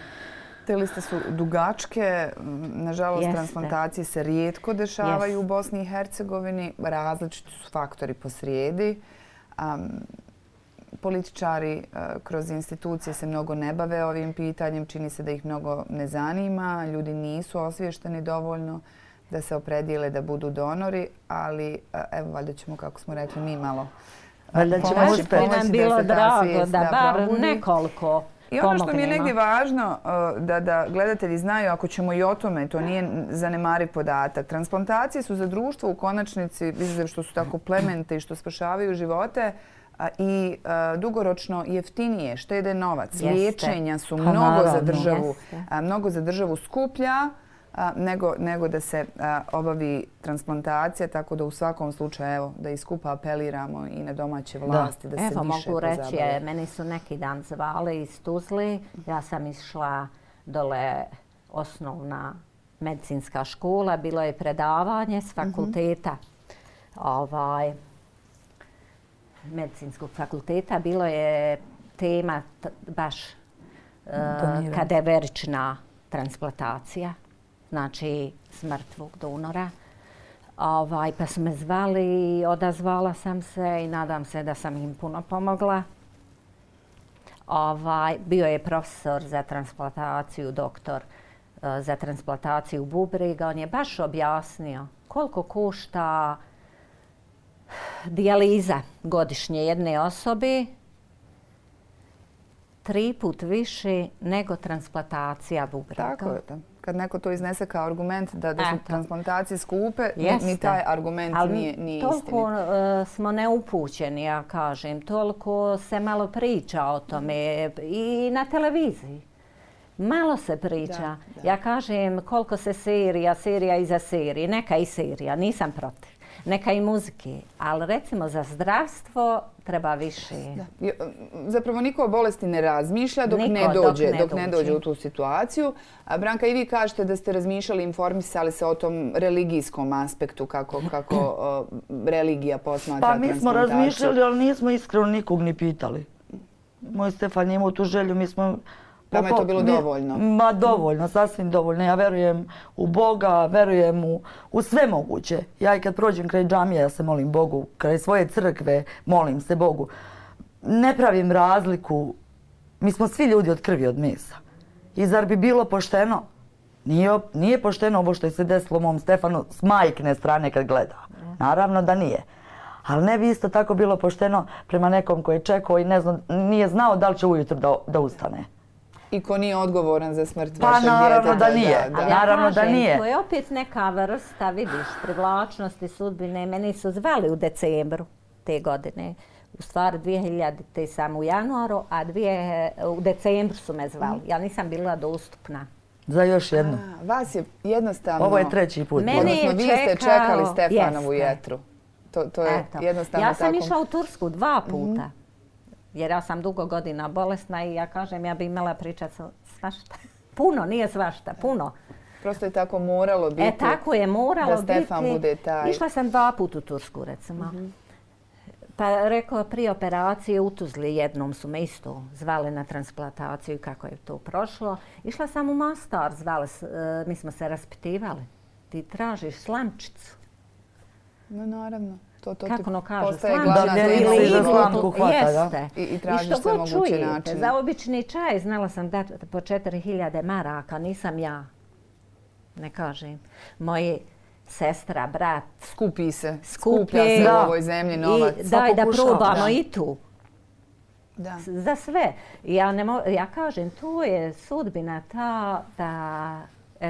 Te liste su dugačke. Nažalost, transplantacije se rijetko dešavaju u Bosni i Hercegovini. Različiti su faktori posrijedi. Političari kroz institucije se mnogo ne bave ovim pitanjem. Čini se da ih mnogo ne zanima. Ljudi nisu osviješteni dovoljno da se opredijele da budu donori. Ali evo, valjda ćemo, kako smo rekli, mi malo pomoći da se bilo drago da bar nekoliko. I ono što mi je negdje važno da gledatelji znaju, ako ćemo i o tome, to nije zanemariv podatak. Transplantacije su za društvo u konačnici, izuzev što su tako plemente i što spašavaju živote, i dugoročno jeftinije, štede novac. Liječenja su mnogo za državu skuplja nego da se obavi transplantacija, tako da u svakom slučaju, evo, da i skupa apeliramo i na domaće vlasti da se više pozabave. Evo, mogu reći, meni su neki dan zvali iz Tuzle, ja sam išla dole osnovna medicinska škola, bilo je predavanje s fakulteta, medicinskog fakulteta, bilo je tema baš kadaverična transplantacija, znači smrtvog donora. Pa su me zvali, odazvala sam se i nadam se da sam im puno pomogla. Bio je profesor za transplantaciju, doktor za transplantaciju bubrega. On je baš objasnio koliko košta dijaliza godišnje jedne osobe, 3 puta više nego transplantacija bubrega. Tako je. Kad neko to iznese kao argument da su transplantacije skupe, ni taj argument nije istinit. Toliko smo neupućeni, ja kažem. Toliko se malo priča o tome i na televiziji. Malo se priča. Ja kažem koliko se serija iza serije. Neka i serija, nisam protiv. Neka i muzike, ali recimo za zdravstvo treba više. Zapravo niko o bolesti ne razmišlja dok ne dođe u tu situaciju. A Branka, i vi kažete da ste razmišljali, informisali se o tom religijskom aspektu, kako religija posmatra transplantaciju. Pa mi smo razmišljali, ali nismo iskreno nikog ni pitali. Moj Stefan je imao tu želju, mi smo... Vama je to bilo dovoljno? Ma dovoljno, sasvim dovoljno. Ja verujem u Boga, verujem u sve moguće. Ja i kad prođem kraj džamije, ja se molim Bogu, kraj svoje crkve, molim se Bogu. Ne pravim razliku. Mi smo svi ljudi od krvi, od mesa. I zar bi bilo pošteno? Nije pošteno ovo što je se desilo mom Stefanu s majkine strane kad gleda. Naravno da nije. Ali ne bi isto tako bilo pošteno prema nekom koji je čekao i nije znao da li će ujutro da ustane. I ko nije odgovoran za smrt vašeg djeteta. Pa naravno da nije. Naravno da nije. To je opet neka vrsta, vidiš, privlačnosti sudbine. Meni su zvali u decembru te godine. U stvari 2000 samo u januaru, a u decembru su me zvali. Ja nisam bila dostupna. Za još jednu. Vas je jednostavno... Ovo je 3. put. Odnosno vi ste čekali Stefanovu jetru. To je jednostavno tako. Ja sam išla u Tursku 2 puta. Jer ja sam dugo godina bolesna i ja kažem ja bi imala pričat svašta. Puno, nije svašta, puno. Prosto je tako moralo biti. Tako je moralo biti. Da Stefan bude taj. Išla sam 2 puta u Tursku, recimo. Pa rekao, prije operacije u Tuzli jednom su me isto zvali na transplantaciju i kako je to prošlo. Išla sam u Mostar, mi smo se raspitivali. Ti tražiš slamčicu. No, naravno. Kako ono kažu, slamku hvata, da? I tražiš sve moguće načine. Za obični čaj znala sam dati po 4000 maraka, nisam ja. Ne kažem. Moji sestra, brat. Skuplja se u ovoj zemlji novac. Daj da probamo i tu. Za sve. Ja kažem, tu je sudbina ta da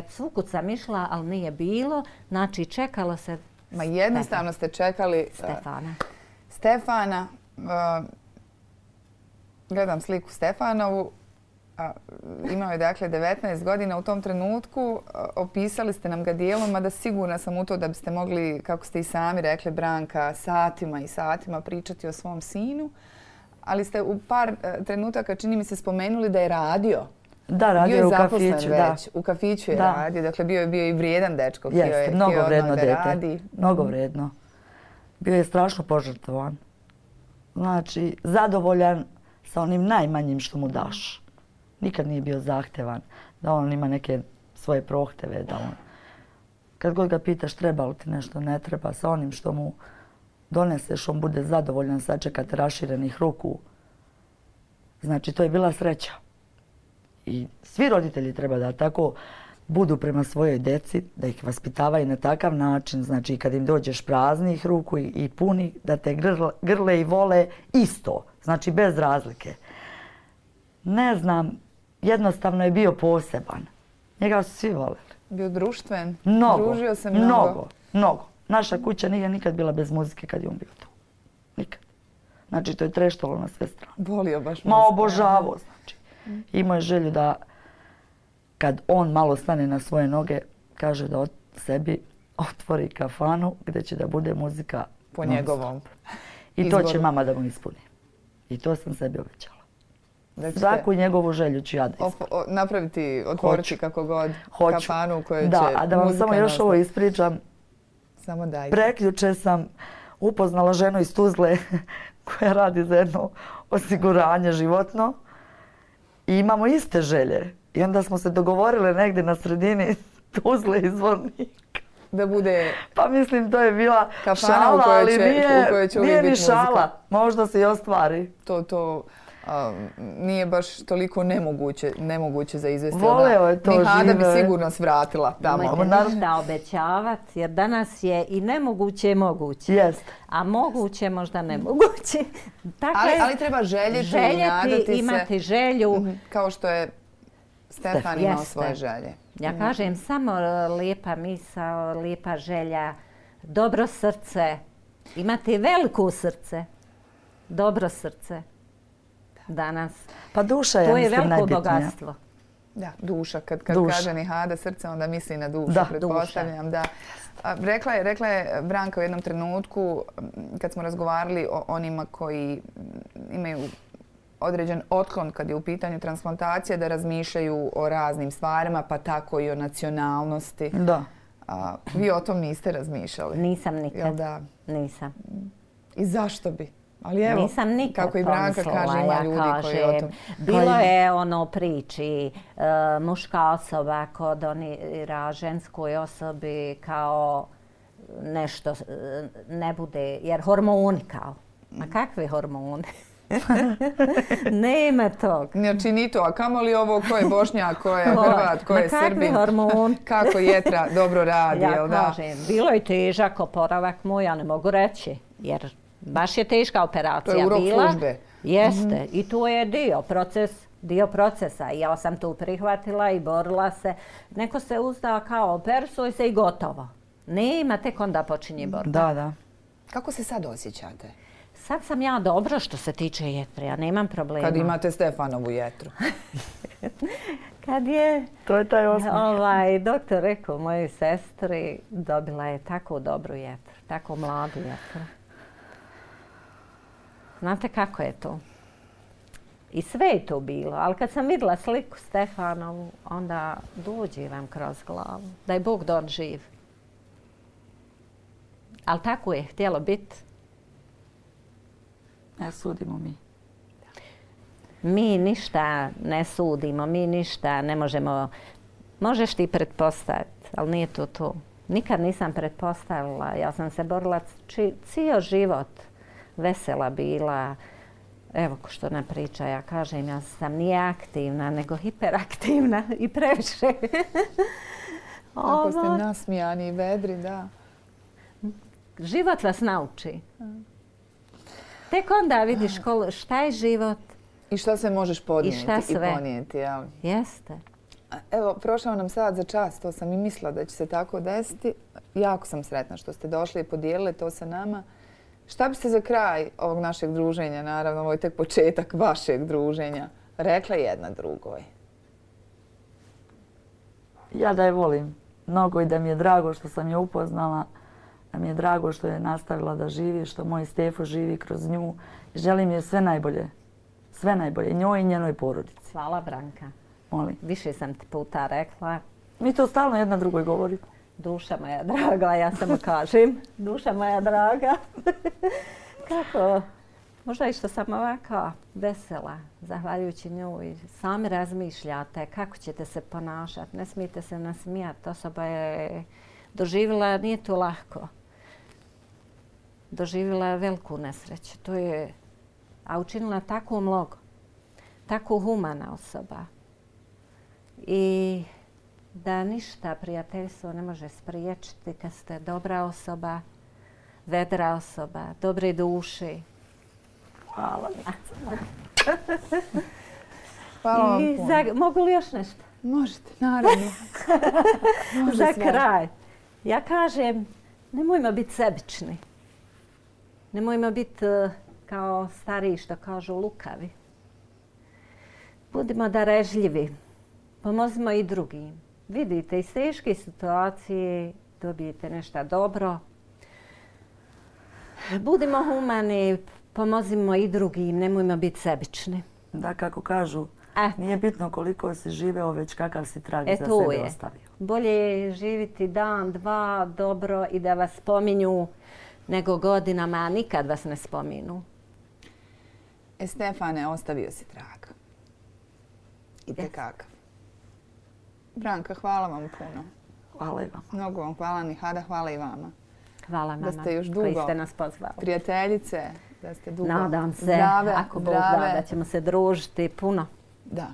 svukud sam išla, ali nije bilo. Znači, čekalo se. Ma jednostavno ste čekali Stefana. Gledam sliku Stefanovu. Imao je dakle 19 godina u tom trenutku. Opisali ste nam ga dijelom, mada sigurna sam u to da biste mogli, kako ste i sami rekli, Branka, satima i satima pričati o svom sinu. Ali ste u par trenutaka, čini mi se, spomenuli da je radio. Da, radio je u kafiću. U kafiću je radio. Dakle, bio je i vrijedan dečko. Jeste, mnogo vrijedno dete. Mnogo vrijedno. Bio je strašno požrtvovan. Znači, zadovoljan sa onim najmanjim što mu daš. Nikad nije bio zahtevan da on ima neke svoje prohteve. Kad god ga pitaš treba li ti nešto, ne treba. Sa onim što mu doneseš, on bude zadovoljan, sačekate raširenih ruku. Znači, to je bila sreća. I svi roditelji treba da tako budu prema svojoj deci, da ih vaspitavaju na takav način. Znači, kad im dođeš praznih ruku i puni, da te grle i vole isto. Znači, bez razlike. Ne znam, jednostavno je bio poseban. Njega su svi voleli. Bio društven? Družio se mnogo. Naša kuća nije nikad bila bez muzike kad je on bio tu. Nikad. Znači, to je treštalo na sve strane. Volio baš muziku. Ma obožavao, znači. Imao je želju da kad on malo stane na svoje noge, kaže da sebi otvori kafanu gdje će da bude muzika po njegovom. I to će mama da mu ispuni. I to sam sebi obećala. Svaku njegovu želju ću ja da napraviti, otvoriti kako god kafanu u kojoj će Da, a da vam samo još ovo ispričam. Samo dajte. Prekjuče sam upoznala ženu iz Tuzle koja radi za jedno osiguranje životno i imamo iste želje. I onda smo se dogovorile negdje na sredini Tuzle i Zvornika. Da bude... Pa mislim, to je bila šala, ali nije ni šala. Možda se i ostvari. To nije baš toliko nemoguće za izvesti. Voleo je to žive. Hada bi sigurno svratila tamo. Nemojte ništa obećavati, jer danas je i nemoguće moguće. Jest. A moguće možda nemoguće. Ali treba željeti i nadati se. Imati želju. Kao što je Stefan imao svoje želje. Ja kažem samo lijepa misao, lijepa želja, dobro srce. Imati veliko srce, dobro srce. Danas. Pa duša je, mislim, najbitnija. To je veliko bogatstvo. Da, duša. Kad kaže Nihada srce, onda misli na dušu, pretpostavljam. Da. Rekla je Branka u jednom trenutku, kad smo razgovarali o onima koji imaju određen otklon kad je u pitanju transplantacije, da razmišljaju o raznim stvarima, pa tako i o nacionalnosti. Da. Vi o tom niste razmišljali? Nisam nikad. Da? Nisam. I zašto bi? Ali evo, nisam nikad kako i Branka kaže, ima ljudi koji o tom... Bilo je priči, muška osoba kodonira ženskoj osobi kao nešto ne bude, jer hormoni kao. A kakve hormone? Nema tog. Znači ni to, a kamoli ovo ko je Bošnjak, ko je Hrvat, ko je Srbin. Kako jetra dobro radi, jel da? Ja kažem, bilo je težak oporavak moj, ja ne mogu reći, jer baš je teška operacija bila. To je urok službe. Jeste, i to je dio procesa. Ja sam tu prihvatila i borila se. Neko se uzda kao opersuj se i gotovo. Nema, tek onda počinje borba. Da. Kako se sad osjećate? Sad sam ja dobro što se tiče jetre, ja nemam problema. Kad imate Stefanovu jetru. Kad je... To je taj osmijeh. Doktor rekao mojoj sestri, dobila je tako dobru jetru, tako mladu jetru. Znate kako je to? I sve je to bilo, ali kad sam vidjela sliku Stefanovu, onda dođe vam kroz glavu. Da je Bog don živ. Ali tako je htjelo biti. Ne sudimo mi. Mi ništa ne sudimo, mi ništa ne možemo... Možeš ti pretpostaviti, ali nije to to. Nikad nisam pretpostavila. Ja sam se borila cijel život. Vesela bila. Evo što ona priča, ja kažem, ja sam nije aktivna, nego hiperaktivna i previše. Tako ste nasmijani i vedri, da. Život vas nauči. Tek onda vidiš šta je život. I šta se možeš podnijeti i ponijeti. Jel? Jeste. Evo, prošao nam sad za čas, to sam i mislila da će se tako desiti. Jako sam sretna što ste došli i podijelili to sa nama. Šta biste za kraj ovog našeg druženja, naravno, ovo je tek početak vašeg druženja, rekla jedna drugoj? Ja da je volim mnogo i da mi je drago što sam je upoznala, da mi je drago što je nastavila da živi, što moj Stefo živi kroz nju. Želim je sve najbolje. Sve najbolje. Njoj i njenoj porodici. Hvala, Branka. Molim. Više sam ti puta rekla. Mi to stalno jedna drugoj govorimo. Duša moja draga, ja samo kažem. Duša moja draga. Kako? Možda i što sam ovako vesela, zahvaljujući njoj. Sami razmišljate kako ćete se ponašati. Ne smijete se nasmijati. Osoba je doživjela, nije to lako. Doživjela je veliku nesreću. To je, a učinila tako mnogo. Tako humana osoba. I da ništa prijateljstvo ne može spriječiti kad ste dobra osoba, vedra osoba, dobre duše. Hvala. Hvala vam puno. Mogu li još nešto? Možete, naravno. Za kraj. Ja kažem, nemojmo biti sebični. Nemojmo biti kao stariji što kažu lukavi. Budimo darežljivi. Pomozimo i drugim. Vidite, iz teške situacije dobijete nešto dobro. Budimo humani, pomozimo i drugim, nemojmo biti sebični. Da, kako kažu, nije bitno koliko si živeo, već kakav si trag za sebe ostavio. Bolje je živiti dan, dva, dobro i da vas spominju nego godinama, a nikad vas ne spominu. Stefane, ostavio si trag. I tekakav. Branka, hvala vam puno. Hvala i vama. Mnogo vam hvala, Nihada, hvala i vama. Hvala mama da ste još dugo koji ste nas pozvali. Prijateljice, da ste dugo Nadam se, zdrave, ako Bog da ćemo se družiti puno. Da.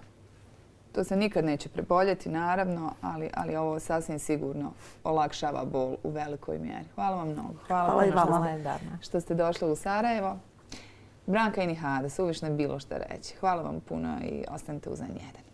To se nikad neće preboljeti, naravno, ali ovo sasvim sigurno olakšava bol u velikoj mjeri. Hvala vam mnogo. Hvala i vama. Što ste došli u Sarajevo. Branka i Nihada, suvišno je bilo što reći. Hvala vam puno i ostanite uz N1.